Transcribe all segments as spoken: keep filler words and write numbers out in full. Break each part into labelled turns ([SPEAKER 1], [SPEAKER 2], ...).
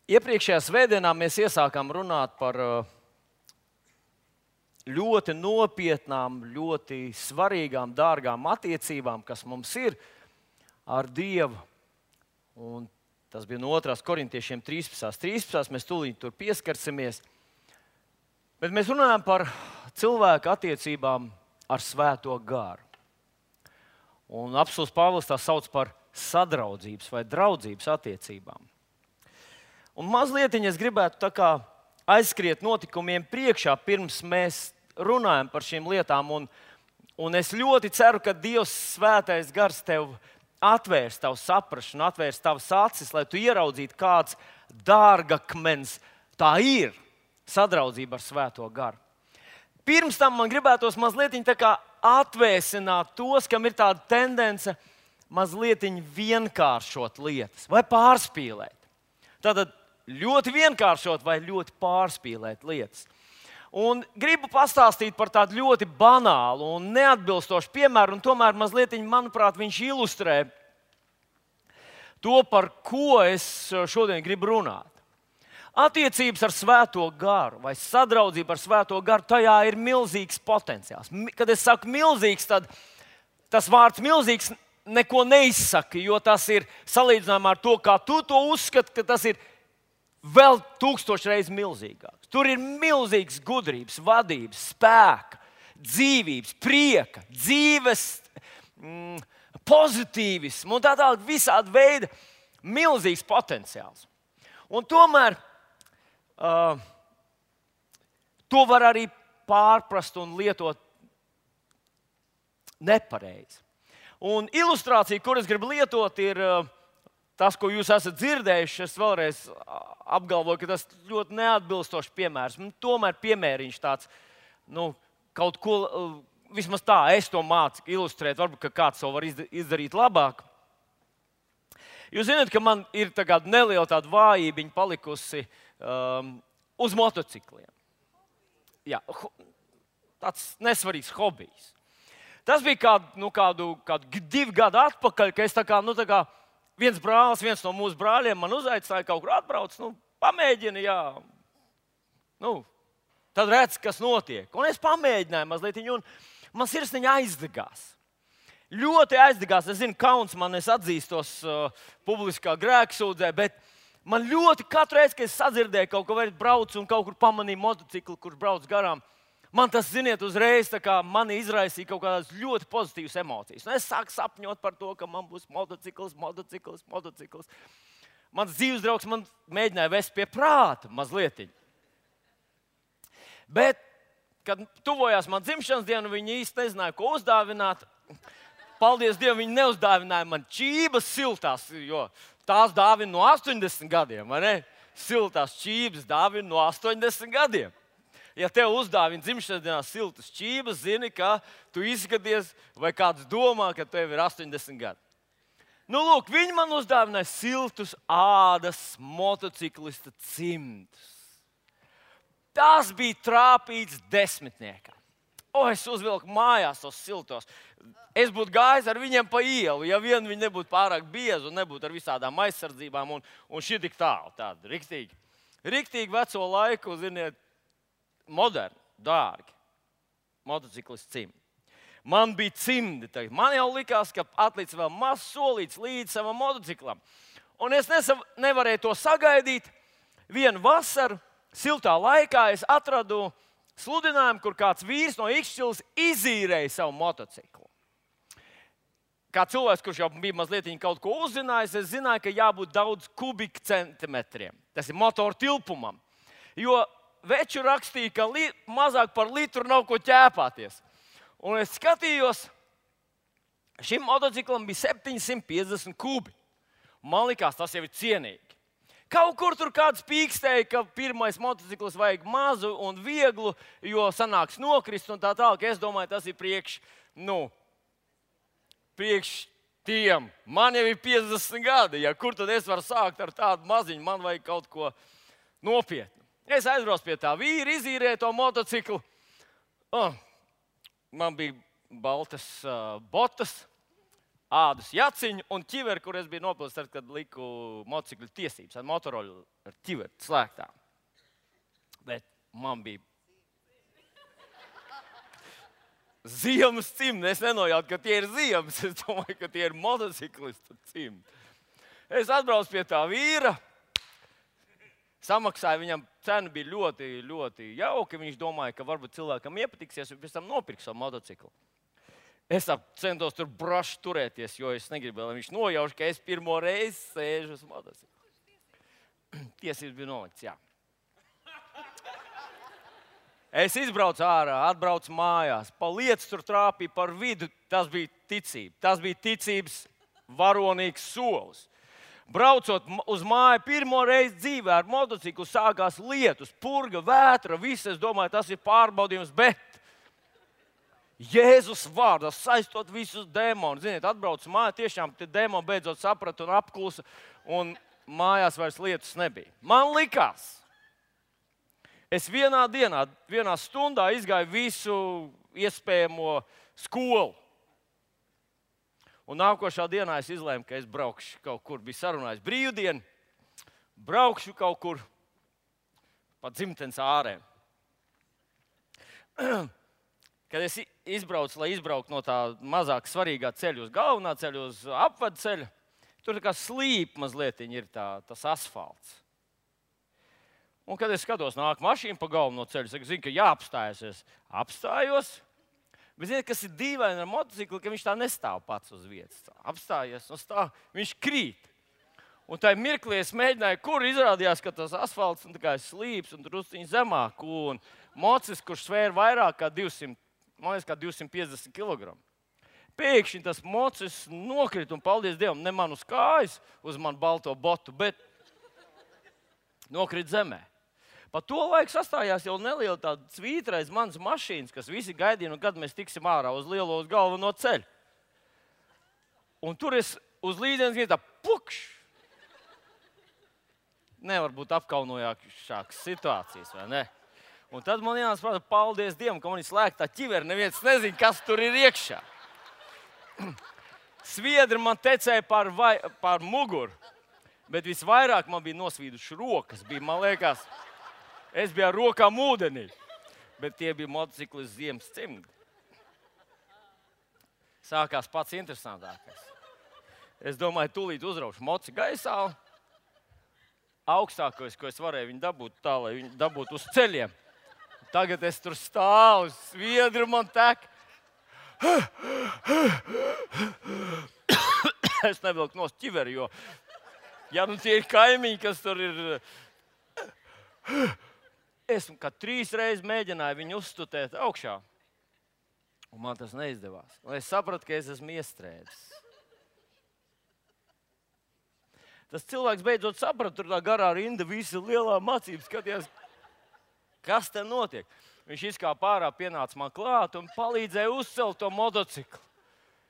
[SPEAKER 1] Iepriekšējā svētdienā mēs iesākām runāt par ļoti nopietnām, ļoti svarīgām, dārgām attiecībām, kas mums ir ar Dievu. Un tas bija no otrās korintiešiem trīspadsmit. trīspadsmit mēs tūlīt tur pieskarsimies. Bet mēs runājam par cilvēku attiecībām ar Svēto garu. Un apostuls Pāvils tā sauc par sadraudzības vai draudzības attiecībām. Un mazliet es gribētu tā kā aizskriet notikumiem priekšā, pirms mēs runājam par šīm lietām. Un, un es ļoti ceru, ka Dievs Svētais Gars tev atvērs tavu saprašanu, atvērs tavas acis, lai tu ieraudzītu, kāds dārgakmens tā ir sadraudzība ar Svēto Garu. Pirms tam man gribētos mazliet tā kā atvēsināt tos, kam ir tāda tendence mazliet vienkāršot lietas vai pārspīlēt. Tātad ļoti vienkāršot vai ļoti pārspīlēt lietas. Un gribu pastāstīt par tādu ļoti banālu un neatbilstošu piemēru, un tomēr mazliet, manuprāt, viņš ilustrē to, par ko es šodien gribu runāt. Attiecības ar Svēto Garu vai sadraudzība ar Svēto Garu, tajā ir milzīgs potenciāls. Kad es saku milzīgs, tad tas vārds milzīgs neko neizsaka, jo tas ir salīdzinājumā ar to, kā tu to uzskati, ka tas ir vēl tūkstoš reizes milzīgāks. Tur ir milzīgs gudrības, vadības, spēka, dzīvības, prieka, dzīves, mm, pozitīvisms un tā tālāk visāda veida milzīgs potenciāls. Un tomēr uh, to var arī pārprast un lietot nepareizi. Un ilustrācija, kur es gribu lietot, ir uh, tas, ko jūs esat dzirdējuši. Es vēlreiz apgalvoju, ka tas ir ļoti neatbilstošs piemērs. Un tomēr piemēriņš tāds, nu, kaut ko, vismaz tā, es to mācu ilustrēt. Varbūt, ka kāds to var izdarīt labāk. Jūs zināt, ka man ir tāda neliela tāda vājība palikusi um, uz motocikliem. Jā, tāds nesvarīgs hobijs. Tas bija kādu, nu, kādu, kādu divu gadu atpakaļ, ka es tā kā, nu, tā kā viens brālis, viens no mūsu brāļiem man uzaicināja kaut kur atbrauc, nu, pamēģini, jā. Nu, tad redz, kas notiek. Un es pamēģināju mazliet, un man sirsniņa aizdegās. Ļoti aizdegās. Es zinu, kauns man, es atzīstos uh, publiskā grēksūdzē, bet man ļoti katru reizi, kad es sadzirdēju kaut ko, vai braucu un kaut kur pamanīju motociklu, kurš brauc garām, man tas, ziniet, uzreiz mani izraisīja kaut kādas ļoti pozitīvas emocijas. Un es sāku sapņot par to, ka man būs motocikls, motocikls, motocikls. Mans dzīves draugs man mēģināja vest pie prāta mazliet. Bet, kad tuvojās man dzimšanas diena, viņi īsti nezināja, ko uzdāvināt. Paldies Dievam, viņi neuzdāvināja man čības siltās, jo tās dāvina no astoņdesmit gadiem, vai ne? Siltās čības dāvina no astoņdesmit gadiem. Ja tev uzdāvina dzimšanas dienā siltas čības, zini, ka tu izskaties, vai kāds domā, ka tev ir astoņdesmit gadi. Nu, lūk, viņi man uzdāvināja siltus ādas motociklista cimdus. Tas bija trāpīts desmitniekam. O, es uzvilku mājās tos siltos. Es būtu gājis ar viņiem pa ielu, ja vien viņi nebūtu pārāk biezi un nebūtu ar visādām aizsardzībām un, un šī tik tālu. Tāda riktīgi, riktīgi veco laiku, ziniet, moderni, dārgi motociklisti cimdi. Man bija cimdi. Man jau likās, ka atlicis vēl mazs solīts līdz savam motociklam. Un es nesav, nevarēju to sagaidīt. Vienu vasaru, siltā laikā, es atradu sludinājumu, kur kāds vīrs no Ikšķilas izīrēja savu motociklu. Kā cilvēks, kurš jau bija mazliet kaut ko uzzinājis, es zināju, ka jābūt daudz kubikcentimetriem. Tas ir motoru tilpumam. Jo veču rakstīja, ka li, mazāk par litru nav ko ķēpāties. Un es skatījos, šim motociklam bija septiņsimt piecdesmit kubi. Man likās, tas jau ir cienīgi. Kaut kur tur kāds pīkstēja, ka pirmais motocikls vajag mazu un vieglu, jo sanāks nokrist un tā tālāk. Es domāju, tas ir priekš, nu, priekš tiem. Man jau ir piecdesmit gadi, ja kur tad es varu sākt ar tādu maziņu, man vajag kaut ko nopietnu. Es aizbraucu pie tā vīra, izīrēju to motociklu. Oh, man bija baltas uh, botas, ādas jaciņu un ķiveri, kur es biju nopilsis, tad, kad liku motociklu tiesības ar motoroļu ar ķiveri slēgtām. Bet man bija ziemas cimdi. Es nenojautu, ka tie ir ziemas. Es domāju, ka tie ir motociklistu cimdi. Es atbraucu pie tā vīra. Samaksāju viņam, cena bija ļoti, ļoti jauka. Viņš domāja, ka varbūt cilvēkam iepatiksies un pēc tam nopirks savu motociklu. Es centos tur braši turēties, jo es negribu, lai viņš nojauš, ka es pirmo reizi sēžu uz motociklu. Tiesības bija nolikts, jā. Es izbraucu ārā, atbraucu mājās, pa lietas tur trāpīju par vidu. Tas bija ticība. Tas bija ticības varonīgs solis. Braucot uz māju pirmo reizi dzīvē ar motociklu, sākās lietus, purga, vētra, viss. Es domāju, tas ir pārbaudījums, bet Jēzus vārdā saistot visus demonus. Ziniet, atbraucu mājā, tiešām tie demoni beidzot saprata un apklusa, un mājās vairs lietus nebija. Man likās, es vienā dienā, vienā stundā izgāju visu iespējamo skolu. Un nākošā dienā es izlēmu, ka es braukšu kaut kur, biju sarunājis brīvdienu, braukšu kaut kur pa dzimtenes ārēm. Kad es izbraucu, lai izbrauktu no tā mazāk svarīgā ceļa uz galvenā ceļa, uz apvadu ceļa, tur tā kā slīp mazliet ir tā, tas asfalts. Un kad es skatos, nāk mašīna pa galveno ceļu, es zinu, ka jāapstājas. Es apstājos, bet zinu, kas ir dīvaini ar motociklu, ka viņš tā nestāv pats uz vietas. Apstājies un stāv, viņš krīt. Un tajā mirklī es mēģināju, kur izrādījās, ka tas asfalts un tā kā slīps un drusciņi zemāk. Un mocis, kurš svēra vairāk kā divsimt, man liekas, kā divsimt piecdesmit kilogramu. Pēkšņi tas mocis nokrita un, paldies Dievam, ne man uz kājas, uz manu balto botu, bet nokrita zemē. Pa to laiku sastājās jau neliela tāda svītra aiz manas mašīnas, kas visi gaidīja, un kad mēs tiksim ārā uz lielo, uz galveno ceļu. Un tur es uz līdienas vietā pukš. Nevar būt apkaunojākas situācijas, vai ne? Un tad man jāsprāta, paldies Dievam, ka man ir slēgta ķiveri, neviens nezina, kas tur ir iekšā. Sviedri man tecēja pār, vai, pār muguru, bet visvairāk man bija nosvīduši rokas. Bija, man liekas, es biju ar rokām ūdenī, bet tie bija motociklis ziemas cimdi. Sākās pats interesantākais. Es domāju, tūlīt uzraušu moci gaisā. Augstākais, ko es varēju viņu dabūt tā, lai viņu dabūtu uz ceļiem. Tagad es tur stāvu, sviedri man tek. Es nevilku nost ķiveri, jo, ja nu tie ir kaimiņi, kas tur ir. Es kā trīs reizes mēģināju viņu uzstutēt augšā, un man tas neizdevās. Un es sapratu, ka es esmu iestrēdzis. Tas cilvēks beidzot saprata, tur tā garā rinda, visi lielā mācības skatījās, kas te notiek. Viņš izkāpa ārā, pienāca man klāt un palīdzēja uzcelt to motociklu.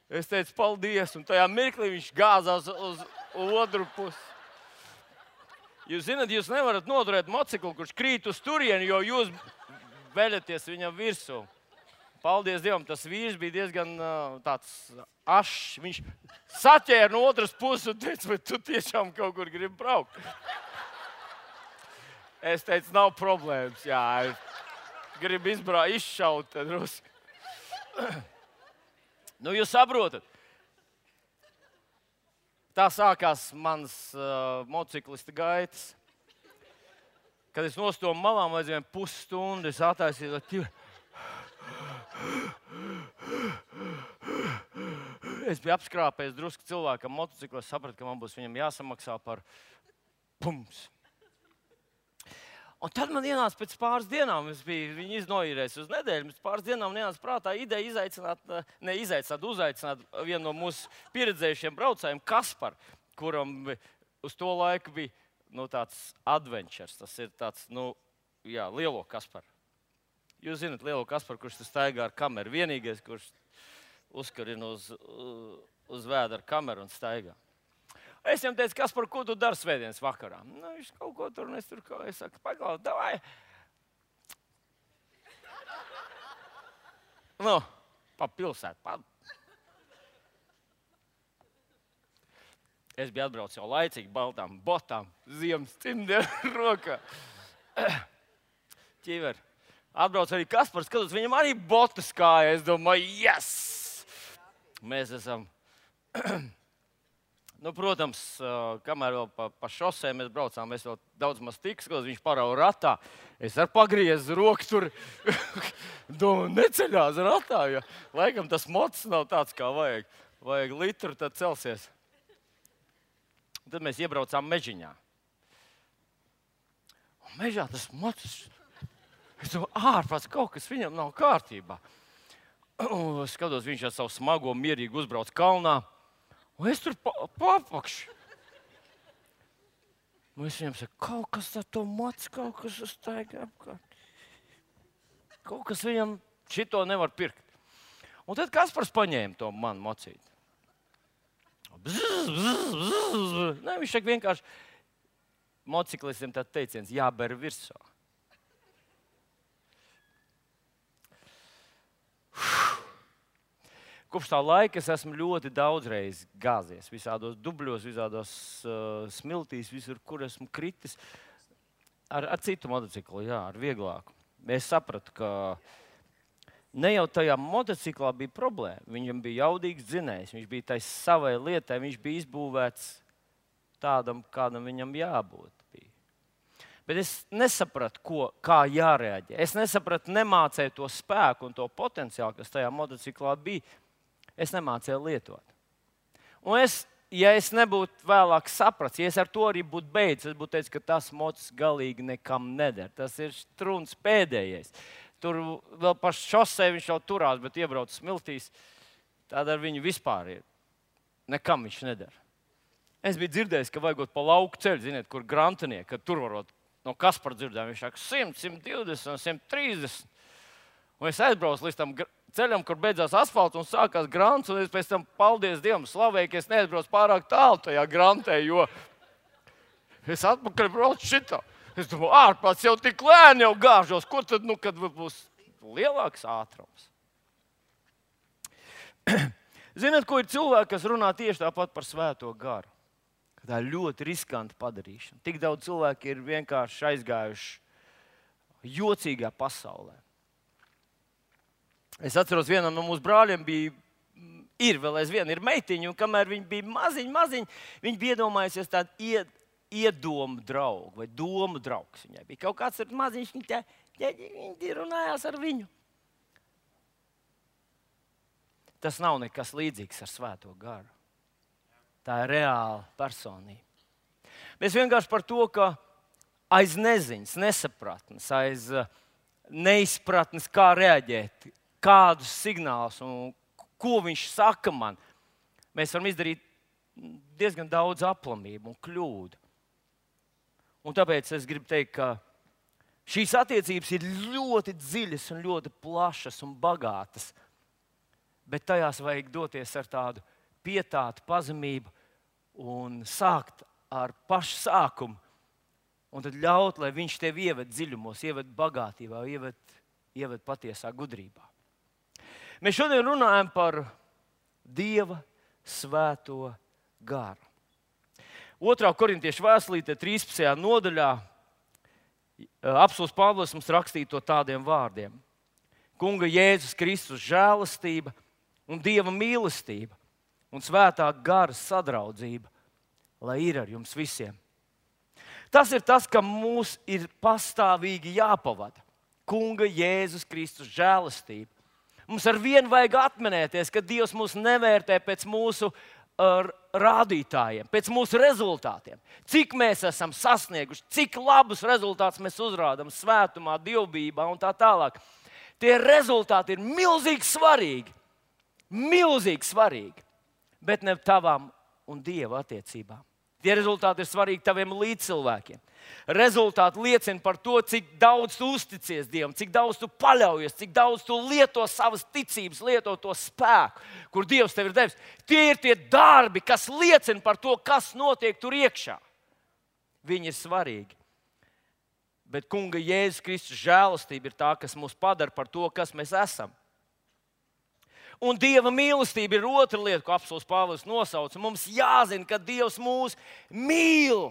[SPEAKER 1] Es teicu, paldies, un tajā mirklī viņš gāzās uz otru pusi. Jūs zināt, jūs nevarat noturēt motociklu, kurš krīt uz turieni, jo jūs veļaties viņam virsū. Paldies Dievam, tas vīrs bija diezgan uh, tāds ašs. Viņš saķēra no otras puses un teica, vai tu tiešām kaut kur gribi braukt? Es teicu, nav problēmas, jā, gribu izbraukt, izšaut te drusku. Nu, jūs saprotat, tā sākās mans uh, motociklista gaitas. Kad es nostomu malām vajadzēju pusstundu, es attaisīju, es biju apskrāpējis drusku cilvēkam motociklu, es sapratu, ka man būs viņam jāsamaksā par pums. Un tad man ienāca pēc pāris dienām, es biju viņu iznoīrējis uz nedēļu, pēc pāris dienām man ienāca prātā ideja izaicināt, ne izaicināt, uzaicināt vienu no mūsu pieredzējušiem braucējiem, Kasparu, kuram uz to laiku bija nu, tāds adventures, tas ir tāds, nu, jā, lielo Kasparu. Jūs zināt lielo Kasparu, kurš tas staigā ar kameru, vienīgais, kurš uzkarina uz, uz vēda ar kameru un staigā. Es viņam teicu, Kaspar, ko tu dari svētdienas vakarā? Nu, viņš kaut ko tur, un es tur kaut ko, es saku, pagaut, davai. Nu, pa pilsētu, pa. Es biju atbraucis jau laicīgi, baltām botām, ziemas cimdiem rokā. Ķiver. Atbrauc arī Kaspars, skatos, viņam arī botas kāja. Es domāju, yes! Mēs esam... Nu, protams, kamēr vēl pa, pa šosē mēs braucām, mēs vēl daudz maz tiks, skatos, viņš parauga ratā. Es ar pagriezu roku tur, domāju, neceļās ratā, jo laikam tas mots nav tāds, kā vajag. Vajag litru, tad celsies. Un tad mēs iebraucām mežiņā. Un mežā tas mots, es domāju, ārprāts, kaut kas viņam nav kārtībā. Un skatos, viņš ar savu smago mierīgi uzbrauc kalnā. Un es tur papakšu. Un es viņam saku, kaut kas ar to mots, kaut kas uztaigā apkārt. Kaut kas viņam šito nevar pirkt. Un tad Kaspars paņēma to manu mocīti. Bzz, bzz, bzz. Ne, viņš saka vienkārši motociklistiem tā teiciens, jāber virsā. Kopš tā laika es esmu ļoti daudzreiz gāzies. Visādos dubļos, visādos uh, smiltīs, visur, kur esmu kritis. Ar, ar citu motociklu, jā, ar vieglāku. Es sapratu, ka ne jau tajā motociklā bija problēma. Viņam bija jaudīgs dzinējs, viņš bija tais savai lietai, viņš bija izbūvēts tādam, kādam viņam jābūt. Bija. Bet es nesapratu, ko, kā jārēģē. Es nesapratu, nemācēju to spēku un to potenciālu, kas tajā motociklā bija. Es nemācīju lietot. Un es, ja es nebūtu vēlāk sapratis, ja es ar to arī būtu beidzis, es būtu teicis, ka tas mocs galīgi nekam neder. Tas ir struns pēdējais. Tur vēl pa šosei viņš jau turās, bet iebrauc smiltīs. Tāda ar viņu vispār ir. Nekam viņš neder. Es biju dzirdējis, ka vajagot pa lauku ceļu, ziniet, kur grantinieki, kad tur varot no Kaspara dzirdēm, viņš saka simt, simt divdesmit, simt trīsdesmit. Un es aizbraucu līdz tam ceļam, kur beidzās asfalts un sākās grants, un es pēc tam, paldies Dievam, slavēju, ka es neaizbraucu pārāk tālu tajā grantē, jo es atpakaļ braucu šitā. Es domāju, ārprāts jau tik lēni jau gāžos, ko tad, nu, kad būs lielāks ātrums? Ziniet, ko ir cilvēki, kas runā tieši tāpat par svēto garu? Tā ir ļoti riskanti padarīšana. Tik daudz cilvēki ir vienkārši aizgājuši jocīgā pasaulē. Es atceros, vienam no mūsu brāļiem bija, ir vēl aizvien, ir meitiņa, un kamēr viņi bija maziņi, maziņi, viņi bija iedomājusies tādu ied, iedomu draugu vai domu draugs viņai bija. Kaut kāds ir maziņš, viņi, tā, viņi runājās ar viņu. Tas nav nekas līdzīgs ar svēto garu. Tā ir reāla personība. Mēs vienkārši par to, ka aiz neziņas, nesapratnes, aiz neizpratnes, kā reaģēt, kādus signālus un ko viņš saka man, mēs varam izdarīt diezgan daudz aplamību un kļūdu. Un tāpēc es gribu teikt, ka šīs attiecības ir ļoti dziļas un ļoti plašas un bagātas, bet tajās vajag doties ar tādu pietātu, pazemību un sākt ar pašu sākumu. Un tad ļaut, lai viņš tevi ieved dziļumos, ieved bagātībā, ieved, ieved patiesā gudrībā. Mēs šodien runājam par Dieva svēto garu. Otrā korintiešu vēstulītē, trīspadsmitajā nodaļā, apostuls Pāvils mums rakstīja to tādiem vārdiem. Kunga Jēzus Kristus žēlastība un Dieva mīlestība un svētā gara sadraudzība, lai ir ar jums visiem. Tas ir tas, ka mūs ir pastāvīgi jāpavada. Kunga Jēzus Kristus žēlastība. Mums ar vienu vajag atminēties, ka Dievs mūs nevērtē pēc mūsu uh, rādītājiem, pēc mūsu rezultātiem. Cik mēs esam sasnieguši, cik labus rezultātus mēs uzrādām svētumā, dievbijībā un tā tālāk. Tie rezultāti ir milzīgi svarīgi. Milzīgi svarīgi. Bet ne tavām un Dieva attiecībām. Tie rezultāti ir svarīgi taviem līdzcilvēkiem. Rezultāti liecina par to, cik daudz tu uzticies Dievam, cik daudz tu paļaujies, cik daudz tu lieto savas ticības, lieto to spēku, kur Dievs tev ir devis. Tie ir tie darbi, kas liecina par to, kas notiek tur iekšā. Viņi ir svarīgi. Bet Kunga Jēzus Kristus žēlastība ir tā, kas mūs padara par to, kas mēs esam. Un Dieva mīlestība ir otra lieta, ko apostils Pāvils nosauca. Mums jāzina, ka Dievs mūs mīl.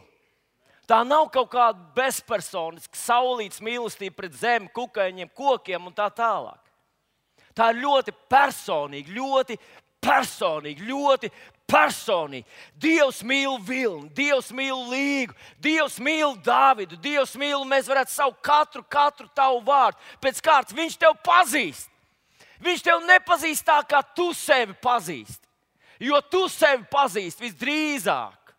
[SPEAKER 1] Tā nav kaut kāda bezpersoniska, saulītas mīlestība pret zemi, kukaiņiem, kokiem un tā tālāk. Tā ir ļoti personīga, ļoti personīga, ļoti personīga. Dievs mīl Vilni, Dievs mīl Līgu, Dievs mīl Dāvidu, Dievs mīl, mēs varētu saukt katru, katru tavu vārdu. Pēc kārtas viņš tev pazīst. Viņš tev nepazīst tā, kā tu sevi pazīsti. Jo tu sevi pazīsti visdrīzāk,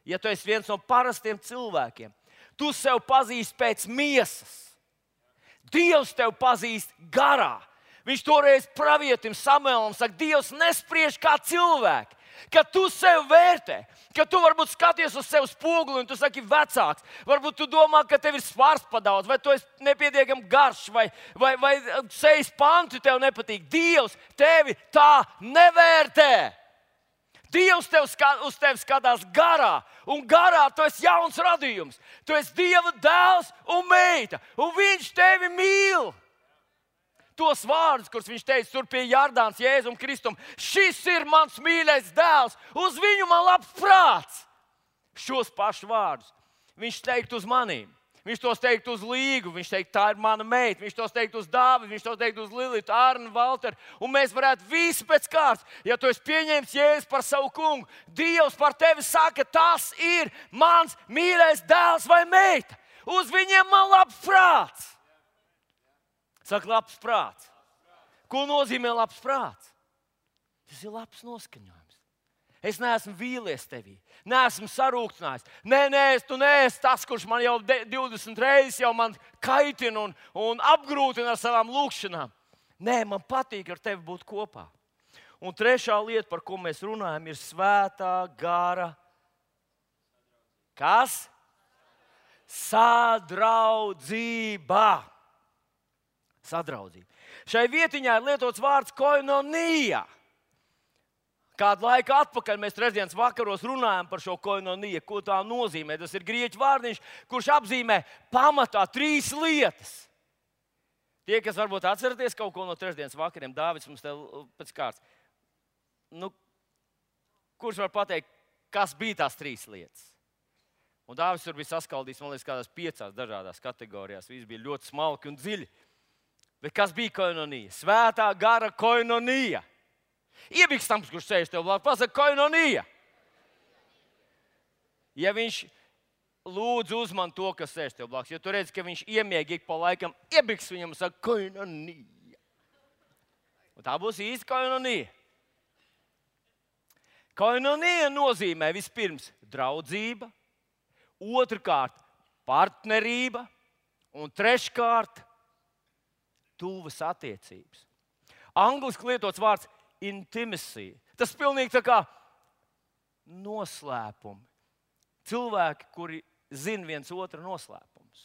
[SPEAKER 1] ja tu esi viens no parastiem cilvēkiem. Tu sevi pazīsti pēc miesas. Dievs tev pazīst garā. Viņš toreiz pravietim Samuēlam saka, Dievs nespriež kā cilvēki. Kad tu sevi vērtē, kad tu varbūt skaties uz sevi spoguli un tu saki vecāks, varbūt tu domā, ka tev ir svars padaudz, vai tu esi nepietiekami garš, vai, vai, vai sejas panti tev nepatīk. Dievs tevi tā nevērtē. Dievs tev skat, uz tevi skatās garā, un garā tu esi jauns radījums. Tu esi Dieva dēls un meita, un viņš tevi mīl. Tos vārdus, kurus viņš teica tur pie Jardānas Jēzum Kristum. Šis ir mans mīļais dēls, uz viņu man labs prāts. Šos pašus vārdus viņš teikt uz manīm. Viņš tos teikt uz Līgu, viņš teikt, tā ir mana meita. Viņš tos teikt uz Dāvidu, viņš tos teikt uz Lilitu, Arnu, Valteru. Un mēs varētu visi pēc kārtas, ja tu esi pieņēmis Jēzu par savu kungu, Dievs par tevi saka, tas ir mans mīļais dēls vai meita. Uz viņiem man labs prāts. Saka, labs prāts. Ko nozīmē labs prāts? Tas ir labs noskaņojums. Es neesmu vīlies tevī, neesmu sarūktinājis. Nē, nē, tu neesi tas, kurš man jau divdesmit reizes jau man kaitina un, un apgrūtina ar savām lūkšanām. Nē, man patīk ar tevi būt kopā. Un trešā lieta, par ko mēs runājam, ir svētā gara. Kas? Sadraudzība. Sadraudzība. Šai vietiņā ir lietots vārds koinonija. Kādu laiku atpakaļ mēs trešdienas vakaros runājam par šo koinoniju, ko tā nozīmē. Tas ir grieķu vārdiņš, kurš apzīmē pamatā trīs lietas. Tie, kas varbūt atceraties kaut ko no trešdienas vakariem, Dāvids mums te pēc kārtas. Nu, kurš var pateikt, kas bija tās trīs lietas? Un Dāvids tur bija saskaldījis, man liekas, kādās piecās dažādās kategorijās. Viss bija ļoti smalki un dziļi. Bet kas bija koinonija? Svētā gara koinonija. Iebikstams, kurš sēž tev blakus, pasaka koinonija. Ja viņš lūdz uzman to, kas sēž tev blakus, jo tu redz, ka viņš iemieg ik pa laikam, iebiks viņam un saka koinonija. Un tā būs īsta koinonija. Koinonija nozīmē vispirms draudzība, otrkārt partnerība un treškārt tuvas attiecības. Angliski lietots vārds intimacy. Tas pilnīgi tā kā noslēpumi. Cilvēki, kuri zina viens otru noslēpumus.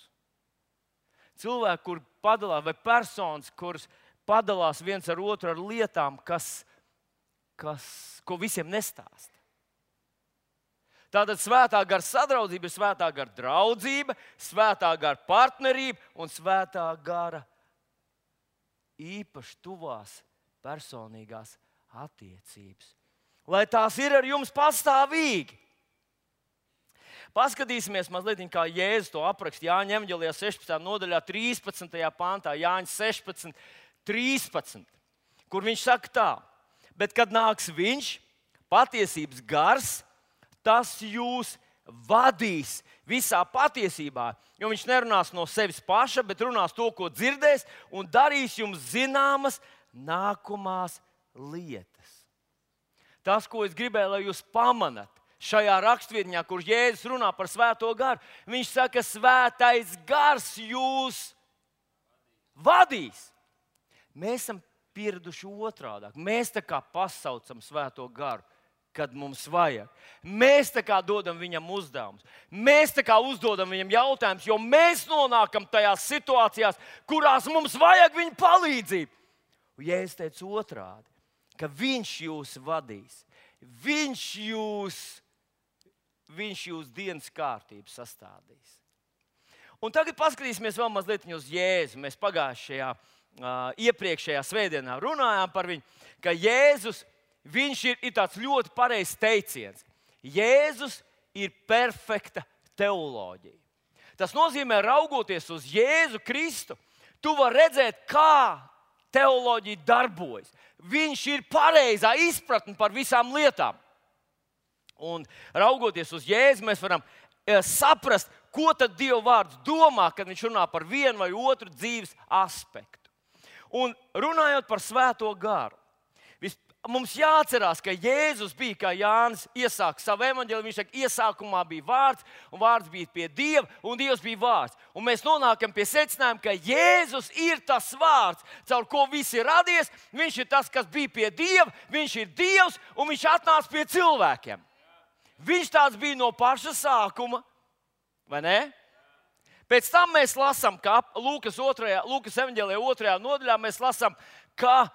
[SPEAKER 1] Cilvēki, kuri padalās, vai personas, kuras padalās viens ar otru ar lietām, kas, kas, ko visiem nestāsta. Tātad svētā gara sadraudzība ir svētā gara draudzība, svētā gara partnerība un svētā gara īpaši tuvās personīgās attiecības. Lai tās ir ar jums pastāvīgi. Paskatīsimies mazliet, kā Jēzus to apraksta Jāņa evaņģēlijā sešpadsmitajā nodaļā, trīspadsmitajā pantā, Jāņa sešpadsmit, trīspadsmit, kur viņš saka tā: bet kad nāks viņš, patiesības gars, tas jūs vadīs visā patiesībā, jo viņš nerunās no sevis paša, bet runās to, ko dzirdēs, un darīs jums zināmas nākamās lietas. Tas, ko es gribēju, lai jūs pamanat šajā rakstvietņā, kur Jēzus runā par svēto garu, viņš saka, svētais gars jūs vadīs. Mēs esam pieraduši otrādāk. Mēs tā kā pasaucam svēto garu, kad mums vajag. Mēs tā kā dodam viņam uzdevumus. Mēs tā kā uzdodam viņam jautājumus, jo mēs nonākam tajās situācijās, kurās mums vajag viņa palīdzību. Un Jēzus teica otrādi, ka viņš jūs vadīs. Viņš jūs, viņš jūs dienas kārtību sastādīs. Un tagad paskatīsimies vēl mazliet uz Jēzu. Mēs pagājušajā uh, iepriekšējā svētdienā runājām par viņu, ka Jēzus viņš ir, ir tāds ļoti pareizs teiciens. Jēzus ir perfekta teoloģija. Tas nozīmē, raugoties uz Jēzu Kristu, tu vari redzēt, kā teoloģija darbojas. Viņš ir pareizā izpratne par visām lietām. Un raugoties uz Jēzu, mēs varam saprast, ko tad Dieva vārds domā, kad viņš runā par vienu vai otru dzīves aspektu. Un runājot par Svēto garu, mums jāatcerās, ka Jēzus bija, kā Jānis iesāka savu evaņģēliju, viņš saka, iesākumā bija vārds, un vārds bija pie Dieva, un Dievs bija vārds. Un mēs nonākam pie secinājuma, ka Jēzus ir tas vārds, caur ko viss ir radies. Viņš ir tas, kas bija pie Dieva, viņš ir Dievs, un viņš atnāca pie cilvēkiem. Viņš tāds bija no paša sākuma, vai ne? Pēc tam mēs lasām, ka Lūkas, otrajā, Lūkas evaņģēlijā otrajā nodaļā mēs lasām, ka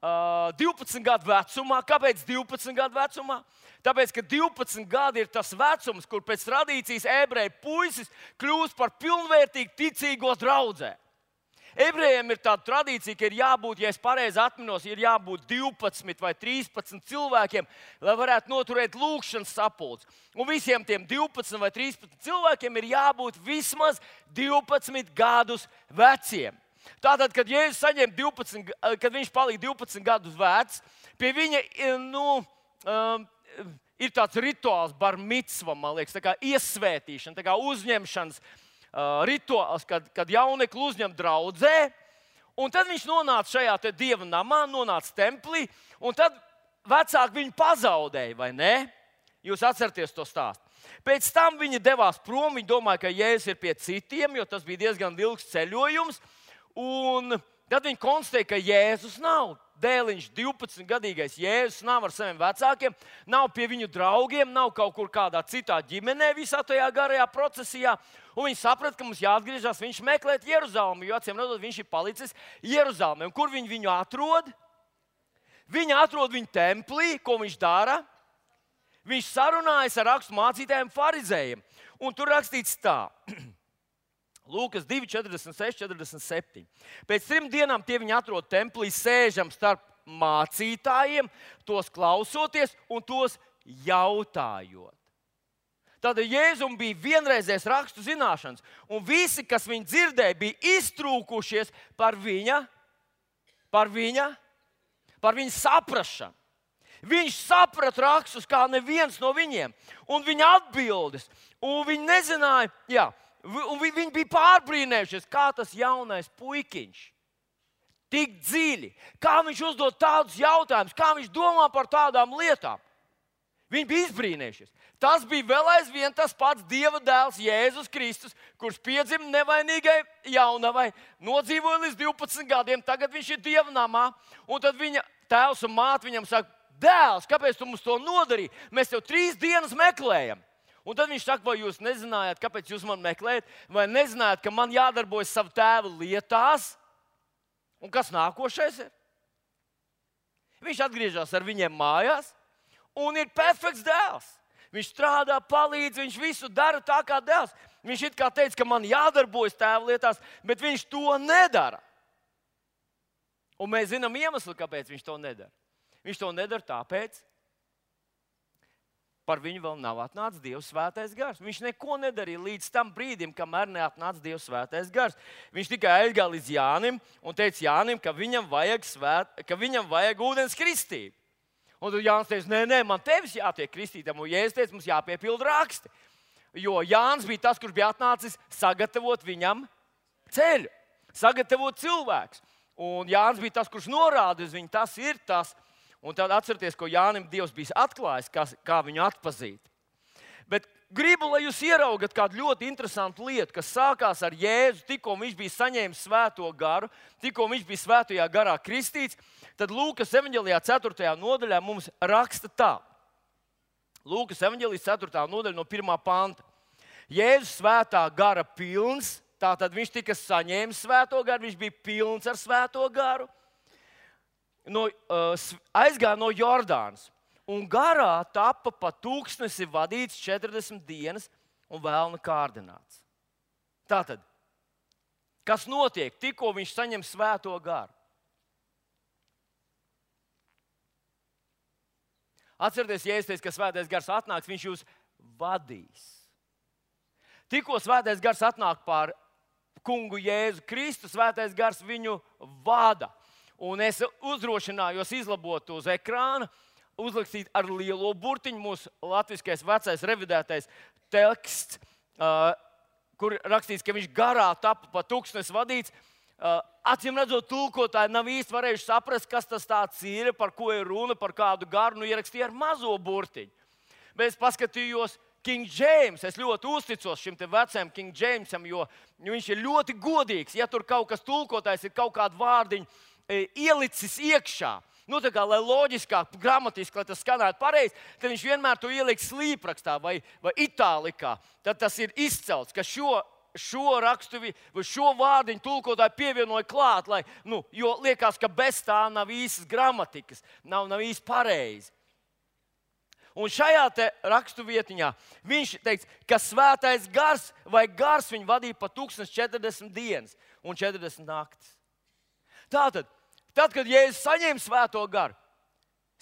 [SPEAKER 1] Uh, divpadsmit gadu vecumā. Kāpēc divpadsmit gadu vecumā? Tāpēc, ka divpadsmit gadi ir tas vecums, kur pēc tradīcijas ebreju puisis kļūst par pilnvērtīgu ticīgo draudzē. Ebrejiem ir tāda tradīcija, ka ir jābūt, ja es pareizi atminos, ir jābūt divpadsmit vai trīspadsmit cilvēkiem, lai varētu noturēt lūgšanas sapulces. Un visiem tiem divpadsmit vai trīspadsmit cilvēkiem ir jābūt vismaz divpadsmit gadus veciem. Tātad, kad Jēzus saņem divpadsmit, kad viņš palika divpadsmit gadus vecs, pie viņa nu, um, ir tāds rituāls, bar micva, man liekas, tā kā iesvētīšana, tā kā uzņemšanas uh, rituāls, kad, kad jaunekli uzņem draudzē. Un tad viņš nonāca šajā te Dieva namā, nonāca templī, un tad vecāki viņu pazaudēja, vai ne? Jūs atceraties to stāstu. Pēc tam viņi devās prom, viņi domāja, ka Jēzus ir pie citiem, jo tas bija diezgan ilgs ceļojums. Un tad viņi konstatēja, ka Jēzus nav. Dēliņš, divpadsmitgadīgais Jēzus nav ar saviem vecākiem, nav pie viņu draugiem, nav kaut kur kādā citā ģimenē visā tajā garajā procesijā. Un viņi saprata, ka mums jāatgriežas, viņš meklēt Jeruzalemi, jo acīm redzot, viņš ir palicis Jeruzalemē. Un kur viņi viņu atrod? Viņi atrod viņu templī, ko viņš dara? Viņš sarunājas ar rakstu mācītājiem farizējiem. Un tur rakstīts tā. Lūkas divi, četrdesmit seši, četrdesmit septiņi. Pēc trim dienām tie viņi atrod templī, sēžam starp mācītājiem, tos klausoties un tos jautājot. Tad Jēzum bija vienreizējs rakstu zināšanas, un visi, kas viņu dzirdēja, bija iztrūkušies par viņa, par viņa, par viņa saprašanu. Viņš saprata rakstus kā neviens no viņiem, un viņa atbildes, un viņi nezināja, jā, un viņi bija pārbrīnējušies, kā tas jaunais puikiņš tik dziļi, kā viņš uzdod tādus jautājumus, kā viņš domā par tādām lietām. Viņi bija izbrīnējušies. Tas bija vēl aizvien tas pats Dieva dēls Jēzus Kristus, kurš piedzima nevainīgai jaunavai, nodzīvoja līdz divpadsmit gadiem, tagad viņš ir Dieva namā, un tad viņa tēvs un māte viņam saka, dēls, kāpēc tu mums to nodarīji? Mēs tev trīs dienas meklējam. Un tad viņš saka, vai jūs nezinājāt, kāpēc jūs man meklējat, vai nezinājāt, ka man jādarbojas savu tēvu lietās? Un kas nākošais ir? Viņš atgriežas ar viņiem mājās un ir perfekts dēls. Viņš strādā, palīdz, viņš visu dara tā kā dēls. Viņš it kā teica, ka man jādarbojas tēvu lietās, bet viņš to nedara. Un mēs zinām iemeslu, kāpēc viņš to nedara. Viņš to nedara tāpēc, par viņu vēl nav atnācis Dieva svētais gars. Viņš neko nedarīja līdz tam brīdim, kamēr neatnāca Dieva svētais gars. Viņš tikai aizgāja līdz Jānim un teica Jānim, ka viņam vajag, svēt, ka viņam vajag ūdens kristību. Un tad Jānis teica, nē, nē, man tevis jātiek kristītam. Un Jēzus teica, mums jāpiepilda raksti. Jo Jānis bija tas, kurš bija atnācis sagatavot viņam ceļu, sagatavot cilvēkus. Un Jānis bija tas, kurš norāda uz viņu, tas ir tas. Un tad atcerieties, ko Jānim Dievs bija atklājis, kā, kā viņu atpazīt. Bet gribu, lai jūs ieraugat kādu ļoti interesantu lietu, kas sākās ar Jēzu, tikko viņš bija saņēmis svēto garu, tikko viņš bija svētajā garā kristīts, tad Lūkas evaņģēlijā ceturtajā nodaļā mums raksta tā. Lūkas evaņģēlijas ceturtā nodaļa no pirmā panta. Jēzus svētā gara pilns, tātad viņš tika saņēmis svēto garu, viņš bija pilns ar svēto garu. No, uh, aizgāja no Jordānas un garā tapa pa tūkstnesi vadīts četrdesmit dienas un vēlna kārdināts. Tātad Kas notiek, tikko viņš saņem svēto garu? Atcerieties, Jēzus teica, ka svētais gars atnāks, viņš jūs vadīs. Tikko svētais gars atnāk pār kungu Jēzu Kristu, svētais gars viņu vada. Un es uzdrošinājos izlabot uz ekrāna, uzrakstīt ar lielo burtiņu mūsu latviskais vecais revidētais teksts, uh, kur rakstīts, ka viņš garā tapa pa tūkstnesi vadīts. Uh, acīm redzot, tulkotāji nav īsti varējuši saprast, kas tas tāds ir, par ko ir runa, par kādu garu. Nu, ierakstīja ar mazo burtiņu. Bet es paskatījos King James. Es ļoti uzticos šim te vecajam King Jamesam, jo viņš ir ļoti godīgs. Ja tur kaut kas tulkotājs ir kaut kādu vārdiņu e, ielicis iekšā, nu, tā kā, lai loģiskāk, gramatiski, lai tas skanētu pareizi, tad viņš vienmēr to ieliek slīprakstā vai, vai itālikā. Tad tas ir izcelts, ka šo, šo rakstu, šo vārdiņu tulkotāji pievienoja klāt, lai, nu, jo liekas, ka bez tā nav īstas gramatikas, nav, nav īsti pareizi. Un šajā te rakstu vietiņā viņš teica, ka svētais gars vai gars viņu vadīja pa četrdesmit dienas un četrdesmit naktis. Tātad, tad, kad Jēzus saņēma svēto garu,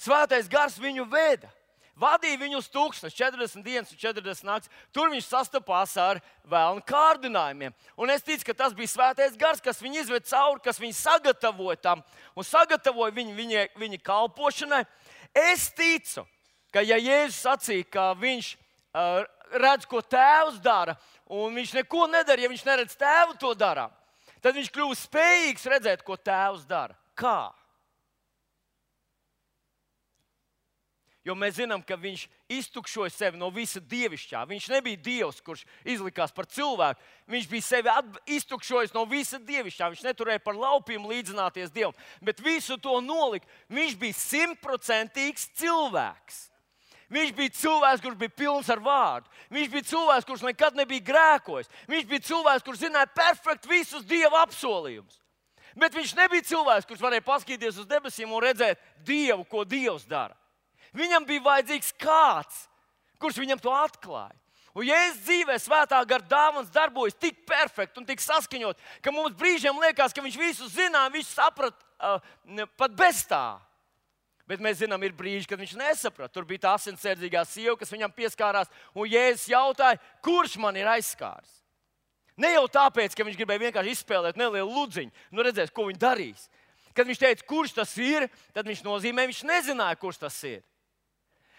[SPEAKER 1] svētais gars viņu veda. Vadīja viņu uz tūkstnes, četrdesmit dienas un četrdesmit naktis. Tur viņš sastapās ar vēlnu kārdinājumiem. Un es ticu, ka tas bija svētais gars, kas viņu izved cauri, kas viņu sagatavoja tam un sagatavoja viņu viņa, viņa kalpošanai. Es ticu, ka ja Jēzus sacīja, ka viņš uh, redz, ko tēvs dara, un viņš neko nedara, ja viņš neredz tēvu to darām, tad viņš kļūst spējīgs redzēt, ko tēvs dara. Kā? Jo mēs zinām, ka viņš iztukšoja sevi no visa dievišķā. Viņš nebija dievs, kurš izlikās par cilvēku. Viņš bija sevi iztukšojis no visa dievišķā. Viņš neturēja par laupījumu līdzināties dievam, bet visu to nolika. Viņš bija simtprocentīgs cilvēks. Viņš bija cilvēks, kurš bija pilns ar vārdu. Viņš bija cilvēks, kurš nekad nebija grēkojis. Viņš bija cilvēks, kurš zināja perfekti visus dieva apsolījumus. Bet viņš nebija cilvēks, kurš varēja paskatīties uz debesīm un redzēt dievu, ko dievs dara. Viņam bija vajadzīgs kāds, kurš viņam to atklāja. Un Jēzus dzīvē svētā gara dāvans darbojas tik perfekti un tik saskaņot, ka mums brīžiem liekas, ka viņš visu zināja, viņš saprat uh, pat bez tā. Bet mēs zinām, ir brīži, kad viņš nesaprata. Tur bija tā asinsardzīgā sieva, kas viņam pieskārās, un Jēzus jautāja, kurš man ir aizskāris. Ne jau tāpēc, ka viņš gribēja vienkārši izspēlēt nelielu ludziņu, nu redzēs, ko viņš darīs. Kad viņš teica, kurš tas ir, tad viņš nozīmē, viņš nezināja, kurš tas ir.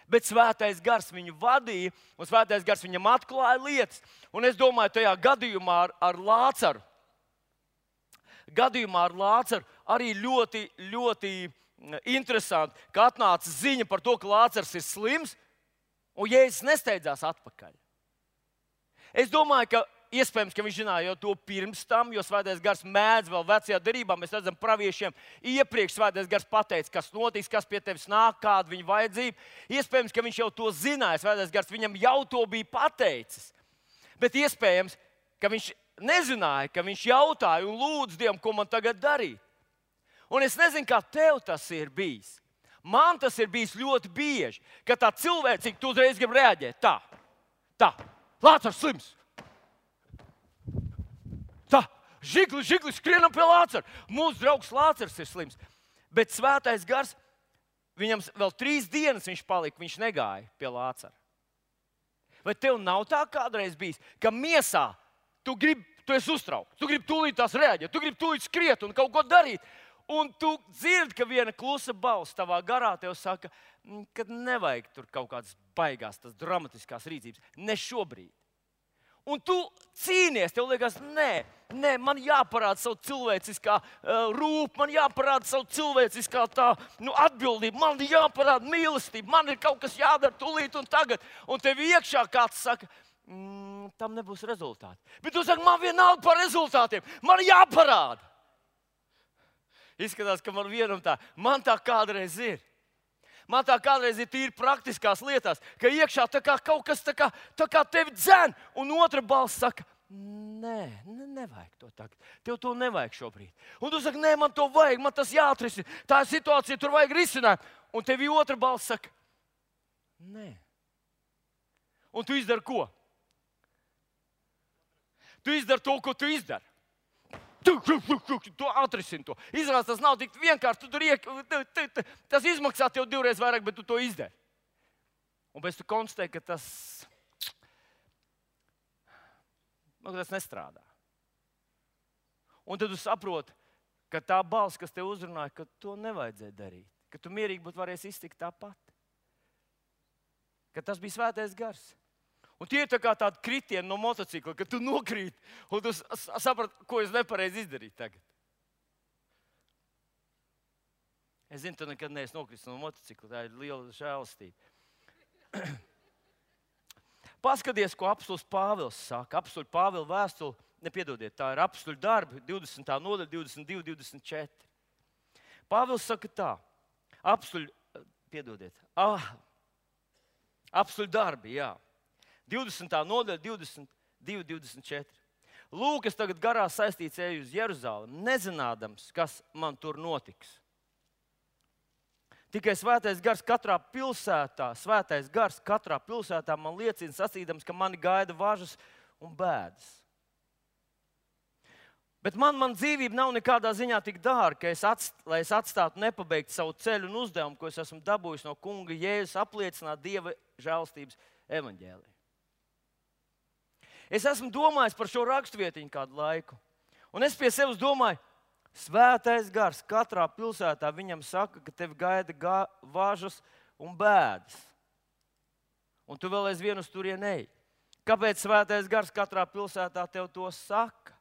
[SPEAKER 1] Bet svētais gars viņu vadīja, un svētais gars viņam atklāja lietas. Un es domāju, tajā gadījumā ar, ar Lācaru, gadījumā ar Lācaru arī ļoti, ļoti interesanti, ka atnāca ziņa par to, ka Lācars ir slims, un Jēzus nesteidzās atpakaļ. Es domāju, ka iespējams, ka viņš zināja jau to pirms tam, jo svētais gars mēdz vēl vecajā derībā. Mēs redzam, praviešiem iepriekš svētais gars pateica, kas notiks, kas pie tevis nāk, kāda viņa vajadzība. Iespējams, ka viņš jau to zināja, svētais gars viņam jau to bija pateicis. Bet iespējams, ka viņš nezināja, ka viņš jautāja un lūdza Dievam, ko man tagad darīt. Un es nezinu, kā tev tas ir bijis. Man tas ir bijis ļoti bieži, ka tā cilvēcīgi tu uzreiz grib reaģēt. Tā, tā, Lācars slims. Tā, žigli, žigli, skrienam pie Lācara. Mūsu draugs Lācars ir slims. Bet svētais gars, viņam vēl trīs dienas viņš palika, viņš negāja pie Lācara. Vai tev nav tā kādreiz bijis, ka miesā tu gribi, tu esi uztraukts, tu gribi tūlīt tās reaģēt, tu gribi tūlīt skriet un kaut ko darīt. Un tu dzirdi, ka viena klusa balss tavā garā tev saka, ka nevajag tur kaut kādas baigās, tas dramatiskās rīcības. Ne šobrīd. Un tu cīnies, tev liekas, nē, nē, man jāparāda savu cilvēciskā uh, rūp, man jāparāda savu cilvēciskā tā, nu, atbildība, man jāparāda mīlestība, man ir kaut kas jādara tūlīt un tagad. Un tev iekšā kāds saka, mm, tam nebūs rezultāti. Bet tu saki, man vienalga par rezultātiem, man jāparāda. Izskatās, ka man vienam tā, man tā kādreiz ir. Man tā kādreiz ir tīri praktiskās lietās, ka iekšā tā kā kaut kas tā kā, tā kā tevi dzen, un otra balss saka, nē, ne, nevajag to tagad. Tev to nevajag šobrīd. Un tu saki, nē, man to vajag, man tas jāatrisina. Tā ir situācija, tur vajag risināt. Un tev otra balss saka, nē. Un tu izdari ko? Tu izdari to, ko tu izdari. tu, tu, tu, tu, tu atrisini to. Izrādās, tas nav tik vienkārši. Tu tur iek, tu, tu, tu, tas izmaksā tev divreiz vairāk, bet tu to izdari. Un pēc tam tu konstatē, ka tas, nu, tas nestrādā. Un tad tu saproti, ka tā balss, kas tev uzrunāja, ka to nevajadzēja darīt. Ka tu mierīgi būtu varējis iztikt tāpat. Ka tas bija svētais gars. Un tie ir tā kā tādi kritieni no motocikla, ka tu nokrīt un tu saprati, ko es nepareizi izdarīju tagad. Es zinu, tu nekad neesi nokritis no motocikla. Tā ir liela žēlastība. Paskaties, ko apstulis Pāvils saka. Apstuļu Pāvila vēstuli, nepiedodiet, tā ir apstuļu darbi, divdesmitā nodaļa, divdesmit divi, divdesmit četri. Pāvils saka tā. Apstuļu, piedodiet, ah, apstuļu darbi, jā. divdesmitā nodaļa, divdesmit divi, divdesmit četri. Lūk, es tagad garā saistīts eju uz Jeruzalemi, nezinādams, kas man tur notiks. Tikai svētais gars katrā pilsētā, svētais gars katrā pilsētā man liecina sacīdams, ka mani gaida važas un bēdas. Bet man, man dzīvība nav nekādā ziņā tik dārga, ka es atst, lai es atstātu nepabeigtu savu ceļu un uzdevumu, ko es esmu dabūjis no kunga Jēzus, apliecināt Dieva žēlstības evaņģēliju. Es esmu domājis par šo rakstvietiņu kādu laiku, un es pie sevis domāju, svētais gars katrā pilsētā viņam saka, ka tevi gaida gā, važas un bēdas. Un tu vēl aizvien uz turieni ej. Kāpēc svētais gars katrā pilsētā tev to saka?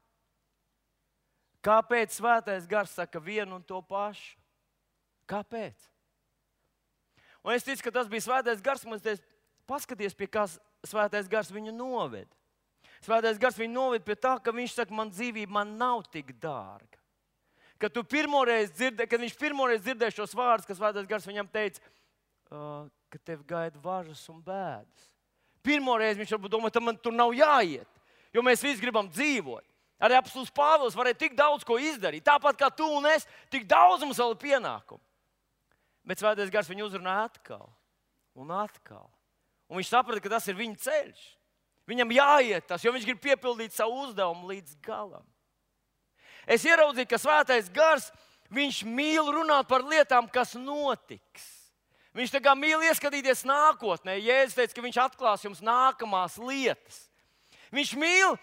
[SPEAKER 1] Kāpēc svētais gars saka vienu un to pašu? Kāpēc? Un es ticu, ka tas bija svētais gars, un es teicu, paskaties, pie kā svētais gars viņu noved. Svētais gars viņu noved pie tā, ka viņš saka, man dzīvība man nav tik dārga. Kad, dzirdē, kad viņš pirmoreiz dzirdēja šos vārdus, ka svētais gars viņam teica, uh, ka tev gaida važas un bēdas. Pirmoreiz viņš varbūt domāja, ka man tur nav jāiet, jo mēs visi gribam dzīvot. Arī apstulis Pāvils varēja tik daudz ko izdarīt. Tāpat kā tu un es, tik daudz mums vēl ir pienākumu. Bet svētais gars viņu uzrunāja atkal un atkal. Un viņš saprata, ka tas ir viņa ceļš. Viņam jāiet tas, jo viņš grib piepildīt savu uzdevumu līdz galam. Es ieraudzīju, ka svētais gars, viņš mīl runāt par lietām, kas notiks. Viņš tā kā mīl ieskatīties nākotnē. Jēzus teica, ka viņš atklās jums nākamās lietas. Viņš mīl,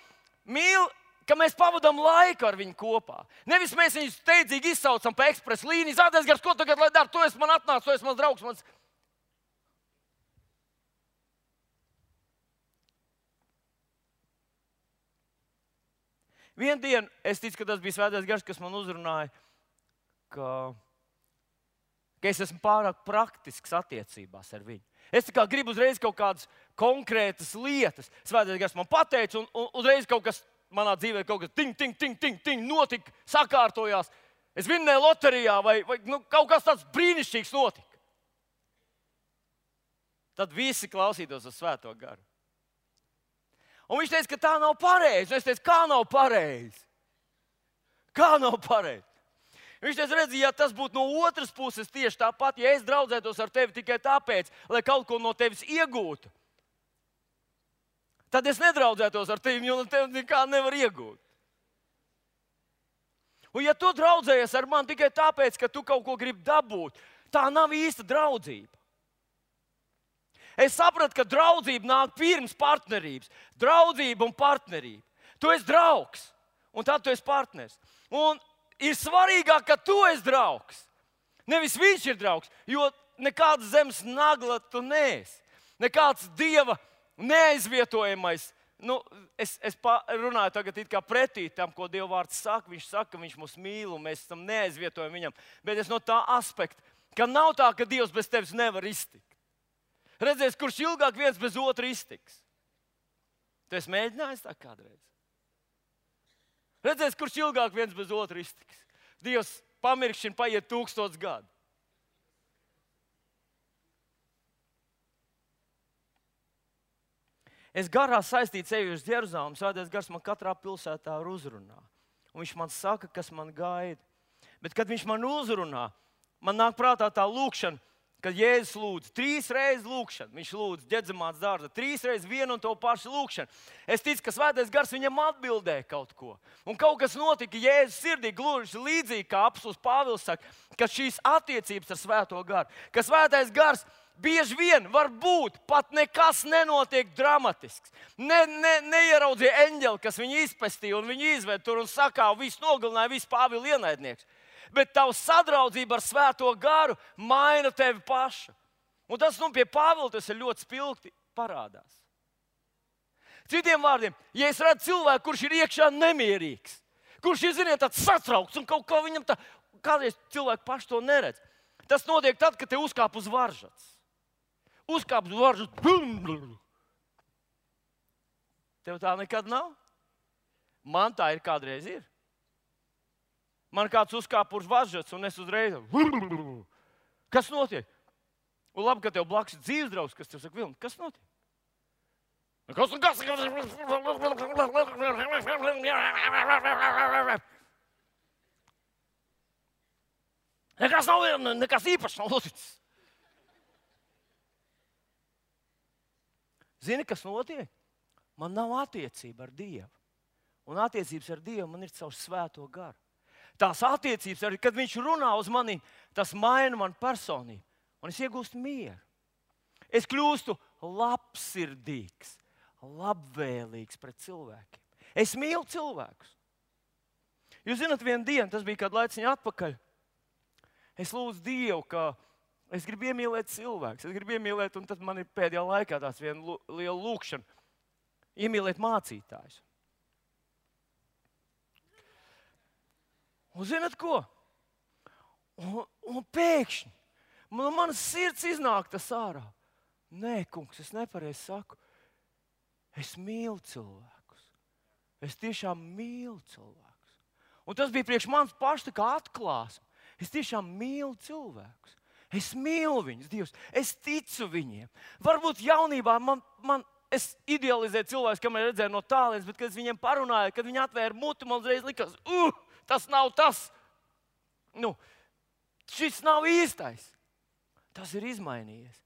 [SPEAKER 1] mīl ka mēs pavadām laiku ar viņu kopā. Nevis mēs viņu steidzīgi izsaucam pa ekspresu līniju. Svētais gars, ko tagad lai dara? Tu esi man atnācis, tu esi mans draugs. Mans... Vienu dienu, es ticu, ka tas bija svētais gars, kas man uzrunāja, ka, ka es esmu pārāk praktisks attiecībās ar viņu. Es tā kā gribu uzreiz kaut kādas konkrētas lietas. Svētais gars man pateica, un, un uzreiz kaut kas manā dzīvē kaut kas ting, ting, ting, ting, ting, notika, sakārtojās. Es vinnēju loterijā vai, vai nu, kaut kas tāds brīnišķīgs notika. Tad visi klausītos uz svēto garu. Un viņš teica, ka tā nav pareizi. Un es teicu, kā nav pareizi? Kā nav pareizi? Viņš teica, redzi, ja tas būtu no otras puses tieši tāpat, ja es draudzētos ar tevi tikai tāpēc, lai kaut ko no tevis iegūtu, tad es nedraudzētos ar tevi, jo no tevis nekā nevar iegūt. Un ja tu draudzējies ar mani tikai tāpēc, ka tu kaut ko gribi dabūt, tā nav īsta draudzība. Es sapratu, ka draudzība nāk pirms partnerības. Draudzība un partnerība. Tu esi draugs, un tad tu esi partners. Un ir svarīgāk, ka tu esi draugs. Nevis viņš ir draugs, jo nekāds zemes nagla tu neesi. Nekāds Dieva neaizvietojamais. Nu, es, es runāju tagad it kā pretī tam, ko Dieva vārds saka. Viņš saka, ka viņš mūs mīl un mēs tam neaizvietojam viņam. Bet es no tā aspekta, ka nav tā, ka Dievs bez tevis nevar iztikt. Redzēs, kurš ilgāk viens bez otra iztiks. Tu esi mēģinājis tā kādreiz? Redzēs, kurš ilgāk viens bez otra iztiks. Dievs pamirkšķina, paiet tūkstots gadu. Es garā saistīts eju uz Jeruzalemi, svētais gars man katrā pilsētā uzrunā. Un viņš man saka, kas man gaida. Bet, kad viņš man uzrunā, man nāk prātā tā lūkšana, kad Jēzus lūdz trīs reizes lūgšanu, viņš lūdz Ģedzemātes dārzā, trīs reizes vienu un to pašu lūgšanu. Es ticu, ka Svētais Gars viņam atbildēja kaut ko. Un kaut kas notika Jēzus sirdī, gluži līdzīgi kā apostuls Pāvils saka, ka šīs attiecības ar Svēto Garu, ka Svētais Gars bieži vien var būt, pat nekas nenotiek dramatisks. Ne, ne, neieraudzīja eņģeli, kas viņu izpestīja un viņu izved tur un sakā, visu nogalināja, visu Pāvila ienaidnieks. Bet tava sadraudzība ar Svēto Garu maina tevi pašu. Un tas nu, pie Pāvila tas ir ļoti spilgti parādās. Citiem vārdiem, ja es redzu cilvēku, kurš ir iekšā nemierīgs, kurš ir, ziniet, tāds satraukts un kaut kā viņam tā, kādreiz cilvēki paši to neredz. Tas notiek tad, kad te uzkāp uz varžats. Uzkāp uz varžats. Tev tā nekad nav? Man tā ir kādreiz ir. Man kāds uzkāpa uz varžats, un es uzreiz. Kas notiek? Un labi, ka tev blakus ir dzīves draugs, kas tev saka, Vilni, kas notiek? Kas un kas? Nekas nav, nekas īpašs nav noticis. Zini, kas notiek? Man nav attiecība ar Dievu. Un attiecības ar Dievu man ir caur Svēto Garu. Tās attiecības, arī, kad viņš runā uz mani, tas maina manu personību. Un es iegūstu mieru. Es kļūstu labsirdīgs, labvēlīgs pret cilvēkiem. Es mīlu cilvēkus. Jūs zināt, vienu dienu, tas bija kādu laiciņu atpakaļ, es lūdzu Dievu, ka es gribu iemīlēt cilvēkus. Es gribu iemīlēt, un tad man ir pēdējā laikā tās viena liela lūkšana. Iemīlēt mācītājus. Un zināt ko? Un, un pēkšņi man, manas sirds iznāk tas ārā. Nē, kungs, es nepareizi saku. Es mīlu cilvēkus. Es tiešām mīlu cilvēkus. Un tas bija priekš manis pašs tā kā atklāsme. Es tiešām mīlu cilvēkus. Es mīlu viņus, Dievs. Es ticu viņiem. Varbūt jaunībā man, man es idealizēju cilvēkus, kam es redzēju no tālienes, bet kad es viņiem parunāju, kad viņi atvēra muti, man uzreiz likās, uh! Tas nav tas. Nu, šis nav īstais. Tas ir izmainījies.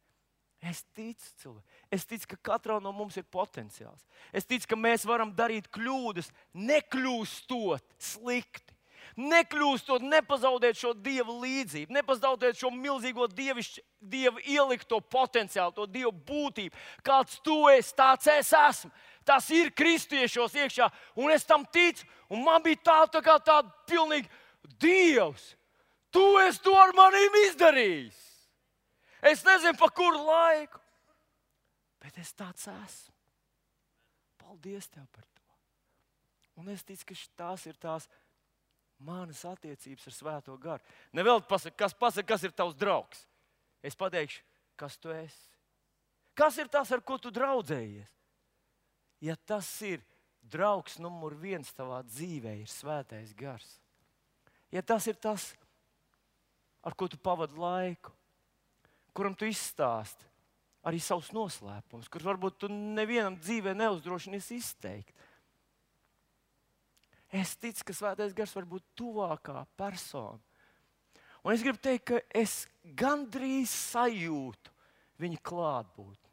[SPEAKER 1] Es ticu cilvēku. Es ticu, ka katrā no mums ir potenciāls. Es ticu, ka mēs varam darīt kļūdas, nekļūstot slikti. Nekļūstot, nepazaudēt šo Dieva līdzību, nepazaudēt šo milzīgo dievišķi, Dieva ielikto potenciālu, to Dieva būtību. Kāds tu esi, tāds es esmu. Tas ir kristiešos iekšā, un es tam ticu. Un man bija tā, tā kā tāda pilnīgi Dievs. Tu esi to ar manīm izdarījis. Es nezinu, pa kuru laiku, bet es tāds esmu. Paldies Tev par to. Un es ticu, ka tās ir tās manas attiecības ar Svēto Garu. Nevēl pasaka, kas pasaka, kas ir tavs draugs. Es pateikšu, kas tu esi. Kas ir tas, ar ko tu draudzējies? Ja tas ir draugs numur viens tavā dzīvē, ir Svētais Gars. Ja tas ir tas, ar ko tu pavadi laiku, kuram tu izstāsti arī savus noslēpumus, kurus varbūt tu nevienam dzīvē neuzdrošinies izteikt. Es ticu, ka Svētais Gars var būt tuvākā persona. Un es gribu teikt, ka es gandrīz sajūtu viņa klātbūtni.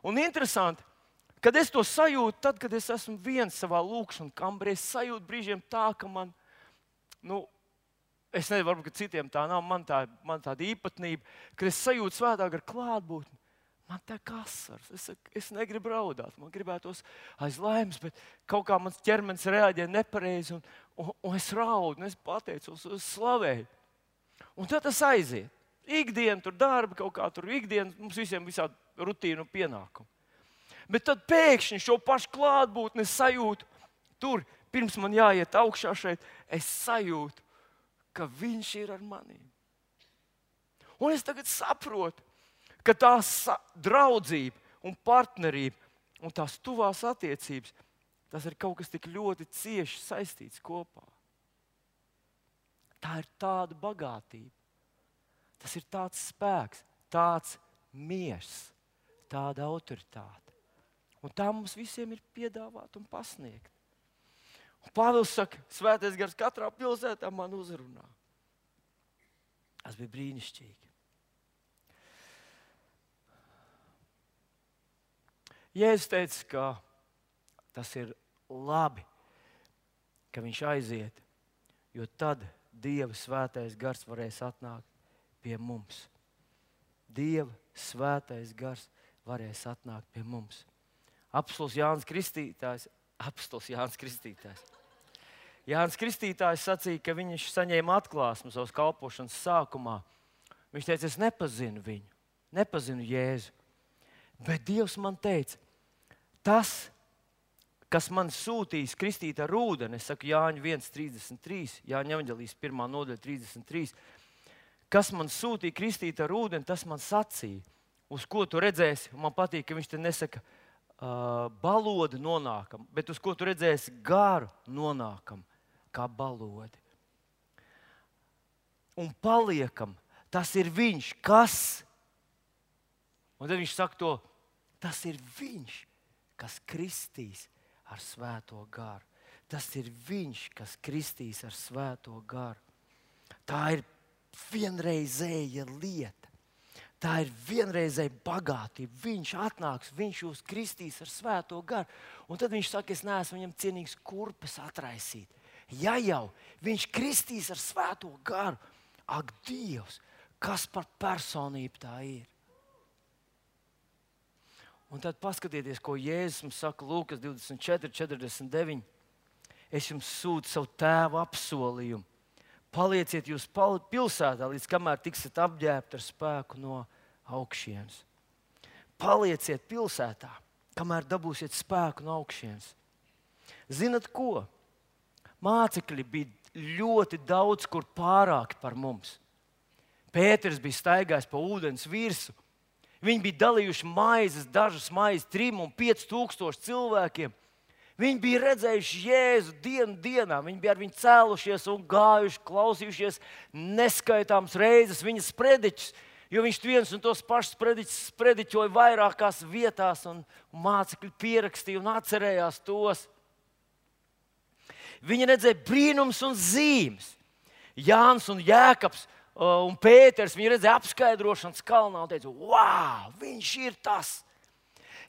[SPEAKER 1] Un interesanti, kad es to sajūtu, tad, kad es esmu viens savā lūkšanas kambarī, es sajūtu brīžiem tā, ka man, nu, es nezinu, varbūt citiem tā nav, man, tā, man tāda īpatnība, kad es sajūtu Svētā Gara klātbūtni, man tā kā asars. Es, es negribu raudāt, man gribētos aiz laimes, bet kaut kā mans ķermenis reaģē nepareizi, un, un, un es raudu, un es pateicos, es slavēju. Un tad tas aiziet. Ikdiena, tur darba, kaut kā tur ikdiena, mums visiem visādi rutīnu pienākumu. Bet tad pēkšņi šo pašu klātbūtni es sajūtu tur, pirms man jāiet augšā šeit, es sajūtu, ka viņš ir ar maniem. Un es tagad saprotu, ka tā draudzība un partnerība un tās tuvās attiecības, tas ir kaut kas tik ļoti cieši saistīts kopā. Tā ir tāda bagātība. Tas ir tāds spēks, tāds miers, tāda autoritāte. Un tā mums visiem ir piedāvāta un pasniegta. Un Pāvils saka, Svētais Gars katrā pilsētā man uzrunā. Tas bija brīnišķīgi. Jēzus teica, ka tas ir labi, ka viņš aiziet, jo tad Dieva svētais gars varēs atnākt pie mums. Dieva svētais gars varēs atnākt pie mums. Apostols Jānis Kristītājs, apostols Jānis Kristītājs. Jānis Kristītājs sacīja, ka viņš saņēma atklāsmu savas kalpošanas sākumā. Viņš teica, es nepazinu viņu, nepazinu Jēzu. Bet Dievs man teica, tas, kas man sūtīs kristīt ar ūdeni, es saku Jāņa viens trīsdesmit trīs, Jāņa evaņģēlijas pirmā nodaļa trīsdesmit trīs, kas man sūtīja kristīt ar ūdeni, tas man sacīja, uz ko tu redzēsi. Man patīk, ka viņš te nesaka uh, balodi nonākam, bet uz ko tu redzēsi garu nonākam, kā balodi. Un paliekam, tas ir viņš, kas? Un tad viņš saka to, tas ir viņš, kas kristīs ar svēto garu. Tas ir viņš, kas kristīs ar svēto garu. Tā ir vienreizēja lieta. Tā ir vienreizēja bagātība. Viņš atnāks, viņš jūs kristīs ar svēto garu. Un tad viņš saka, es neesmu viņam cienīgs kurpes atraisīt. Ja jau viņš kristīs ar svēto garu, ak, Dievs, kas par personību tā ir? Un tad paskatieties, ko Jēzus mums saka Lūkas divdesmit četri, četrdesmit deviņi. Es jums sūtu savu tēvu apsolījumu. Palieciet jūs pilsētā, līdz kamēr tiksiet apģērbti ar spēku no augšienes. Palieciet pilsētā, kamēr dabūsiet spēku no augšienes. Zinat ko? Mācekļi bija ļoti daudz kur pārāki par mums. Pēters bija staigājis pa ūdens virsmu. Viņi bija dalījuši maizes, dažas maizes, trim un pieci tūkstoši cilvēkiem. Viņi bija redzējuši Jēzu dienu dienā. Viņi bija ar viņu cēlušies un gājuši, klausījušies neskaitāmas reizes viņa sprediķus, jo viņš viens un tos pašus sprediķus sprediķoja vairākās vietās, un, un mācekļi pierakstīja un atcerējās tos. Viņi redzēja brīnums un zīmes. Jānis un Jēkabs un Pēters, viņi redzēja apskaidrošanas kalnā un teica, wow, viņš ir tas.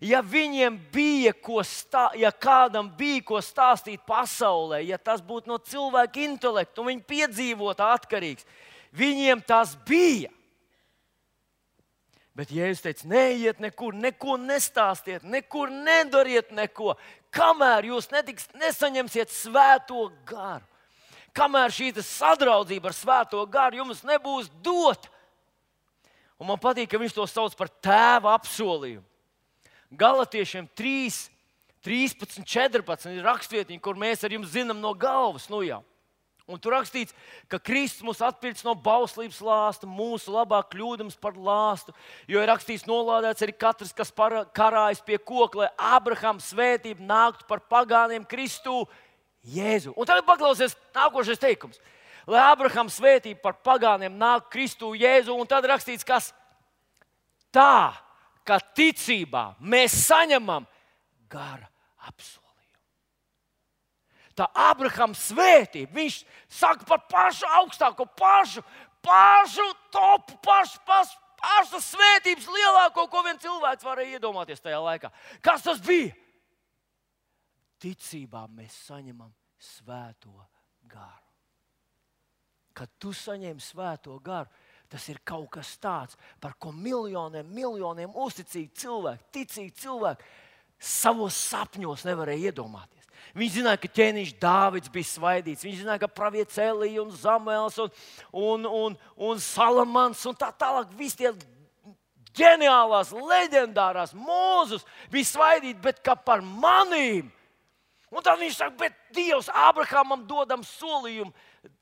[SPEAKER 1] Ja viņiem bija ko stāstīt, ja kādam bija ko stāstīt pasaulē, ja tas būtu no cilvēka intelekta un viņa piedzīvota atkarīgs, viņiem tas bija. Bet Jēzus teica, neiet nekur, neko nestāstiet, nekur nedariet neko, kamēr jūs netiks, nesaņemsiet svēto garu. Kamēr šī sadraudzība ar svēto garu jums nebūs dota. Un man patīk, ka viņš to sauc par tēva apsolījumu. Galatiešiem trīs, trīspadsmit, četrpadsmit ir rakstvietiņi, kur mēs ar jums zinām no galvas. Nu jau. Un tur rakstīts, ka Kristus mūs atpirks no bauslības lāsta, mūsu labā kļūdams par lāstu. Jo ir rakstīts, nolādēts arī katrs, kas para, karājas pie koka, lai Abrahama svētība nāktu par pagāniem Kristu Jēzu. Un tagad paklausies nākošais teikums. Lai Abrahama svētība par pagāniem nāk Kristu Jēzu, un tad rakstīts, kas tā, ka ticībā mēs saņemam gara apsolījumu. Tā Abrahama svētība, viņš saka par pašu augstāko, pašu, pašu topu, pašu, pašu, pašu svētības lielāko, ko vien cilvēks varēja iedomāties tajā laikā. Kas tas bija? Ticībā mēs saņemam svēto garu. Kad tu saņem svēto garu, tas ir kaut kas tāds, par ko miljoniem, miljoniem uzticīgi cilvēki, ticīgi cilvēki savos sapņos nevarēja iedomāties. Viņi zināja, ka ķēniņš Dāvids bija svaidīts, viņi zināja, ka pravietis Elija un Zamuēls un, un, un, un Salamans un tā tālāk, visi tie ģeniālās, leģendārās mūzus bija svaidīti, bet kā par manīm. Un tad viņš saka, bet Dievs Abrahamam dodam solījumu,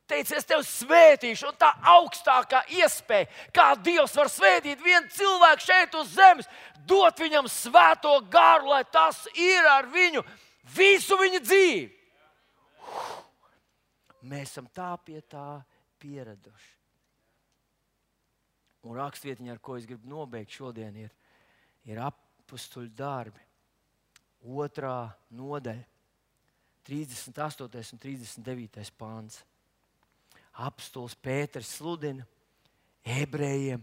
[SPEAKER 1] teica, es tevi svētīšu, un tā augstākā iespēja, kā Dievs var svētīt vienu cilvēku šeit uz zemes, dot viņam svēto garu, lai tas ir ar viņu visu viņa dzīvi. Mēs esam tā pie tā pieraduši. Un rakstvietiņa, ar ko es gribu nobeigt šodien, ir, ir Apostuļu darbi, otrā nodaļa, trīsdesmit astotais un trīsdesmit devītais pāns. Apostols Pēters sludina ebrejiem,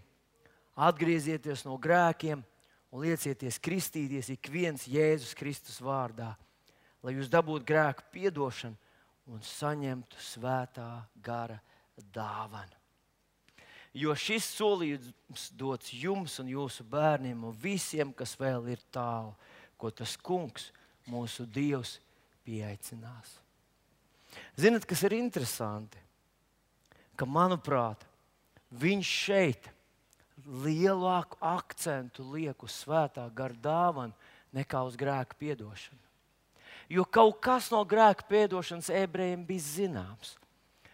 [SPEAKER 1] atgriezieties no grēkiem un liecieties kristīties ik viens Jēzus Kristus vārdā, lai jūs dabūtu grēku piedošanu un saņemtu svētā gara dāvanu. Jo šis solījums dots jums un jūsu bērniem un visiem, kas vēl ir tālu, ko tas kungs, mūsu Dievs, pieaicinās. Zinat, kas ir interesanti? Ka, manuprāt, viņš šeit lielāku akcentu liek uz svētā gara dāvanu nekā uz grēku piedošanu. Jo kaut kas no grēku piedošanas ebrejiem bija zināms.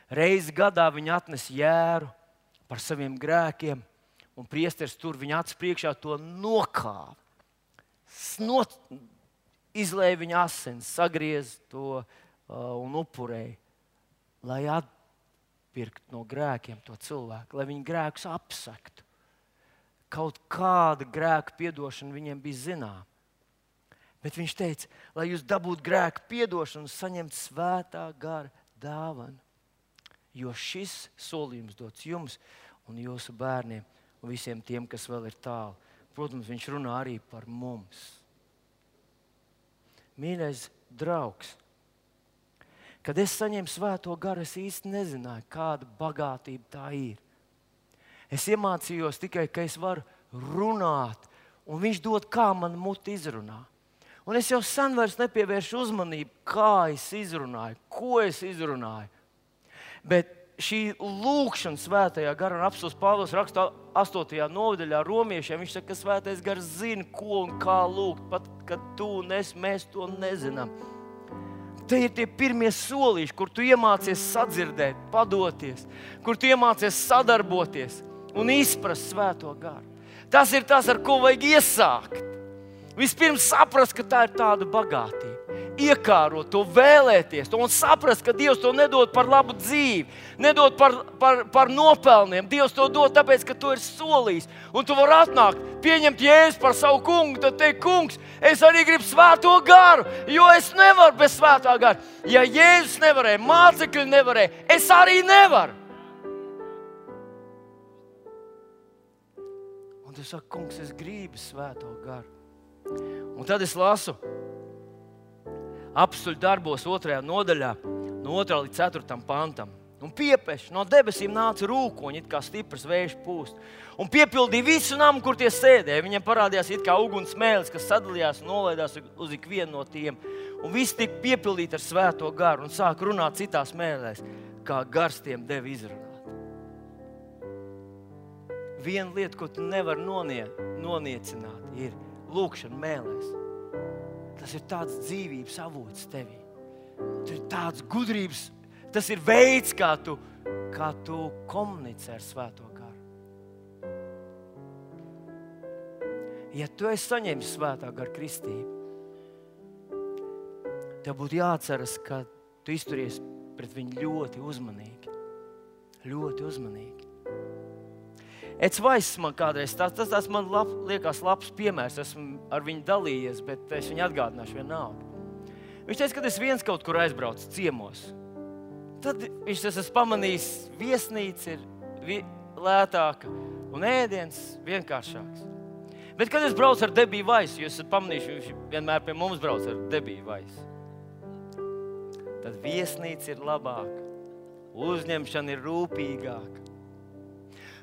[SPEAKER 1] Reizi gadā viņi atnes jēru par saviem grēkiem, un priesteris tur viņa acis priekšā to nokāva. Snot, izlēja viņa asins, sagriez to uh, un upurēja, lai atpirkt no grēkiem to cilvēku, lai viņi grēkus apsektu. Kaut kāda grēka piedošana viņiem bija zināma. Bet viņš teica, lai jūs dabūtu grēku piedošanu un saņemtu svētā gara dāvanu. Jo šis solījums dots jums un jūsu bērniem un visiem tiem, kas vēl ir tālu. Protams, viņš runā arī par mums. Mīļais draugs, kad es saņēmu svēto garu, es īsti nezināju, kāda bagātība tā ir. Es iemācījos tikai, ka es varu runāt, un viņš dod, kā man muti izrunā. Un es jau sen vairs nepievēršu uzmanību, kā es izrunāju, ko es izrunāju. Bet šī lūkšana svētajā garā, un apostils Pāvils raksta astotajā nodaļā romiešiem, viņš saka, ka svētais gars zina, ko un kā lūgt, pat kad tu un es, mēs to nezinām. Te ir tie pirmie solīši, kur tu iemācies sadzirdēt, padoties, kur tu iemācies sadarboties un izprast svēto garu. Tas ir tas, ar ko vajag iesākt. Vispirms saprast, ka tā ir tāda bagātība. Iekārot to, vēlēties to un saprast, ka Dievs to nedod par labu dzīvi, nedod par, par, par nopelniem. Dievs to dod tāpēc, ka to ir solījis. Un tu vari atnākt, pieņemt Jēzu par savu kungu, tad teikt, kungs, es arī gribu svēto garu, jo es nevaru bez svētā gara. Ja Jēzus nevarēja, mācekļi nevarēja, es arī nevaru. Un tu saki, kungs, es gribu svēto garu. Un tad es lasu Apstuļu darbos otrajā nodaļā, no otrā līdz ceturtam pantam. Un piepeš, no debesīm nāca rūkoņi, it kā stiprs vējš pūst. Un piepildīja visu namu, kur tie sēdēja. Viņiem parādījās it kā uguns mēlis, kas sadalījās un nolaidās uz ikvienu no tiem. Un viss tika piepildīti ar svēto garu un sāk runāt citās mēlēs, kā gars tiem deva izrunāt. Viena lieta, ko tu nevari nonie, noniecināt, ir lūkšana mēlēs. Tas ir tāds dzīvības avots tevī. Tas ir tāds gudrības, tas ir veids, kā tu, kā tu komunicē ar svēto garu. Ja tu esi saņēmis svētā gara kristību, tev būtu jāatceras, ka tu izturies pret viņu ļoti uzmanīgi. Ļoti uzmanīgi. Eds Vaiss man kādreiz, tas, tas, tas man lab, liekas labs piemērs, esmu ar viņu dalījies, bet es viņu atgādināšu vienalga. Viņš teica, kad es viens kaut kur aizbraucu ciemos, tad viņš tas esmu pamanījis, viesnīca ir vi, lētāka un ēdiens vienkāršāks. Bet kad es braucu ar Debiju Vaisu, jūs esat pamanījuši, viņš vienmēr pie mums brauc ar Debiju Vaisu, tad viesnīca ir labāka, uzņemšana ir rūpīgāka.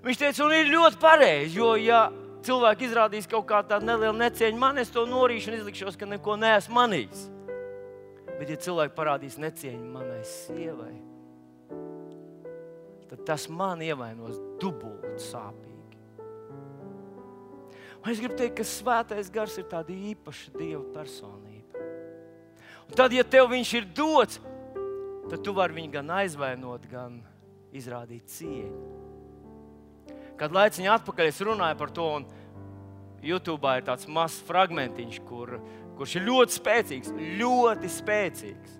[SPEAKER 1] Viņš teica, un ir ļoti pareizi, jo ja cilvēki izrādīs kaut kā tādu nelielu necieņu man, es to norīšu un izlikšos, ka neko neesmu manījis. Bet ja cilvēki parādīs necieņu manai sievai, tad tas man ievainos dubult sāpīgi. Un es gribu teikt, ka svētais gars ir tāda īpaša Dieva personība. Un tad, ja tev viņš ir dots, tad tu vari viņu gan aizvainot, gan izrādīt cieņu. Kad laiciņu atpakaļ es runāju par to, un YouTube'ā ir tāds mazs fragmentiņš, kur, kurš ir ļoti spēcīgs, ļoti spēcīgs.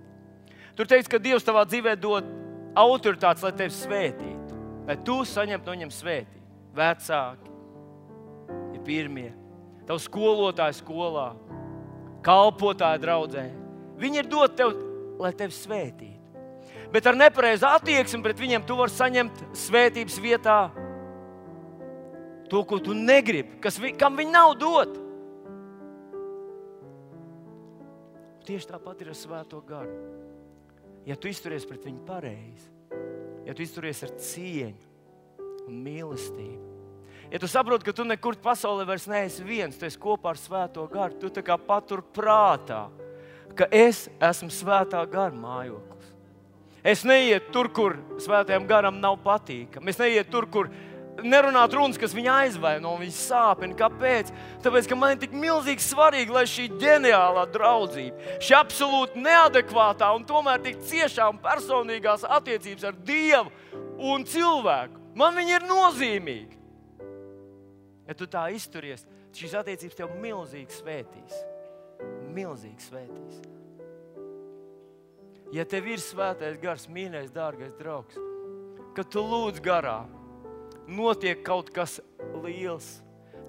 [SPEAKER 1] Tur teiks, ka Dievs tavā dzīvē dod autoritātes, lai tevi svētītu, lai tu saņemtu no viņam svētību. Vecāki ir pirmie, tavu skolotāju skolā, kalpotāju draudzē. Viņi ir dot tev, lai tevi svētītu. Bet ar nepareizu attieksmi pret viņiem tu vari saņemt svētības vietā to, ko tu negribi, kas, kam viņi nav dot. tieši tāpat ir ar Svēto garu. Ja tu izturies pret viņu pareizi, ja tu izturies ar cieņu un mīlestību, ja tu saproti, ka tu nekur pasaulē vairs neesi viens, tu esi kopā ar Svēto garu, tu tā kā patur prātā, ka es esmu Svētā gara mājoklis. Es neietu tur, kur Svētajam garam nav patīkami. Es neietu tur, kur nerunāt runas, kas viņu aizvaino, viņu sāpina. Kāpēc? Tāpēc, ka man ir tik milzīgi svarīgi, lai šī ģeniālā draudzība, šī absolūti neadekvātā un tomēr tik ciešā un personīgās attiecības ar Dievu un cilvēku, man viņi ir nozīmīgi. Ja tu tā izturies, šīs attiecības tev milzīgi svētīs. Milzīgi svētīs. Ja tev ir Svētais gars, mīļais, dārgais draugs, kad tu lūdz garā, notiek kaut kas liels.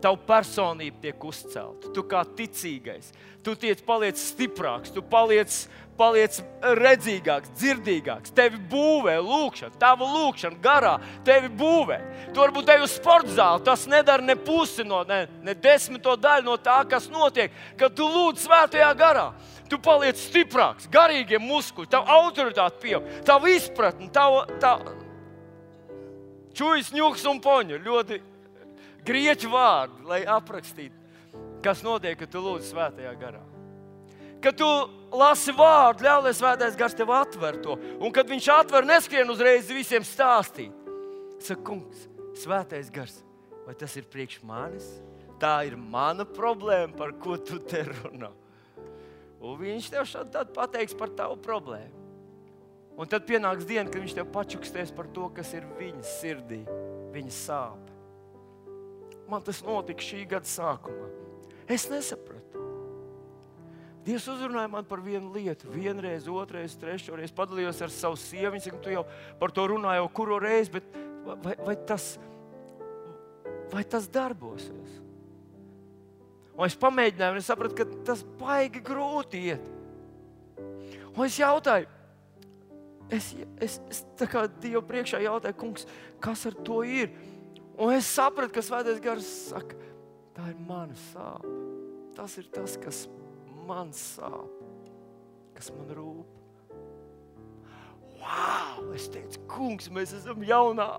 [SPEAKER 1] Tavu personību tiek uzcelta. Tu kā ticīgais. Tu tiec paliec stiprāks, tu paliec, paliec redzīgāks, dzirdīgāks. Tevi būvē lūkšana, tava lūkšana garā tevi būvē. Tu varbūt ej uz sporta zāli, tas nedara ne pusi no, ne, ne desmito daļu no tā, kas notiek, kad tu lūdz Svētajā garā. Tu paliec stiprāks, garīgie muskuļi, tava autoritāte pieaug, tava izpratne, tava, tava čujas, ņuks un poņu. Ļoti grieķu vārdi, lai aprakstītu, kas notiek, kad tu lūdz Svētajā garā. Kad tu lasi vārdu, ļauj, lai Svētais gars tev atver to. Un kad viņš atver, neskrien uzreiz visiem stāstīt. Saka, kungs, Svētais gars, vai tas ir priekš manis? Tā ir mana problēma, par ko tu te runā. Un viņš tev šādi pateiks par tavu problēmu. Un tad pienāks diena, kad viņš tev pačukstēs par to, kas ir viņa sirdī, viņa sāpe. Man tas notika šī gada sākumā. Es nesapratu. Dievs uzrunāja man par vienu lietu. Vienreiz, otrais, trešoreiz padalījos ar savu sievu. Viņa saka, tu jau par to runāji jau kuro reizi, bet vai, vai, tas, vai tas darbosies? Un es pamēģināju, un es sapratu, ka tas baigi grūti iet. Un es jautāju, es, es, es tā kā Dievu priekšā jautāju, kungs, kas ar to ir? Un es sapratu, ka Svētais gars saka, tā ir mana sāpe. Tas ir tas, kas man sāp, kas man rūp. Wow! Es teicu, kungs, mēs esam jaunā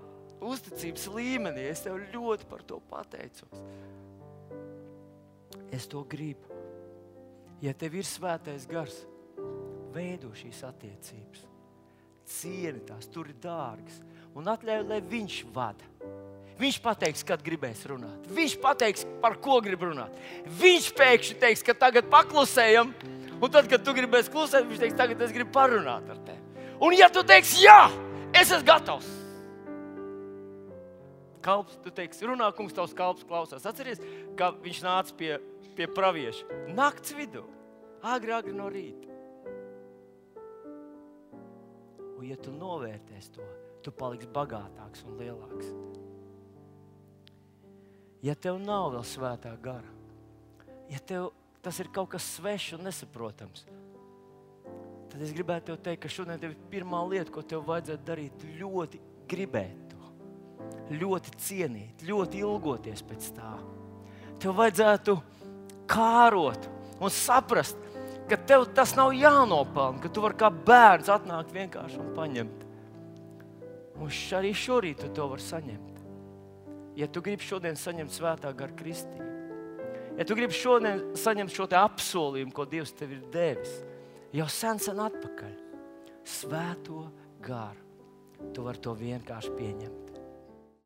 [SPEAKER 1] uzticības līmenī. Es tev ļoti par to pateicos. Es to gribu. Ja tev ir Svētais gars, veido šīs attiecības. Cieni tās, tur ir dārgas. Un atļauj, lai viņš vada. Viņš pateiks, kad gribēs runāt. Viņš pateiks, par ko grib runāt. Viņš pēkšņi teiks, ka tagad paklusējam. Un tad, kad tu gribēsi klusēt, viņš teiks, tagad es gribu parunāt ar tevi. Un ja tu teiksi, jā, es esmu gatavs. Kalps, tu teiksi, runā, kungs, tavs kalps klausās. Atceries, kā viņš nāca pie, pie pravieša. Nakts vidū, agri, agri no rīta. Un ja tu novērtēs to, tu paliksi bagātāks un lielāks. Ja tev nav vēl Svētā gara, ja tev tas ir kaut kas svešs un nesaprotams, tad es gribētu tev teikt, ka šodien tev ir pirmā lieta, ko tev vajadzētu darīt, ļoti gribēt to, ļoti cienīt, ļoti ilgoties pēc tā. Tev vajadzētu kārot un saprast, ka tev tas nav jānopelna, ka tu vari kā bērns atnākt vienkārši un paņemt. Un arī šorīt tu to vari saņemt. Ja tu gribi šodien saņemt Svētā gara kristību, ja tu gribi šodien saņemt šo te apsolījumu, ko Dievs tev ir devis, jau sen sen atpakaļ, Svēto garu, tu vari to vienkārši pieņemt.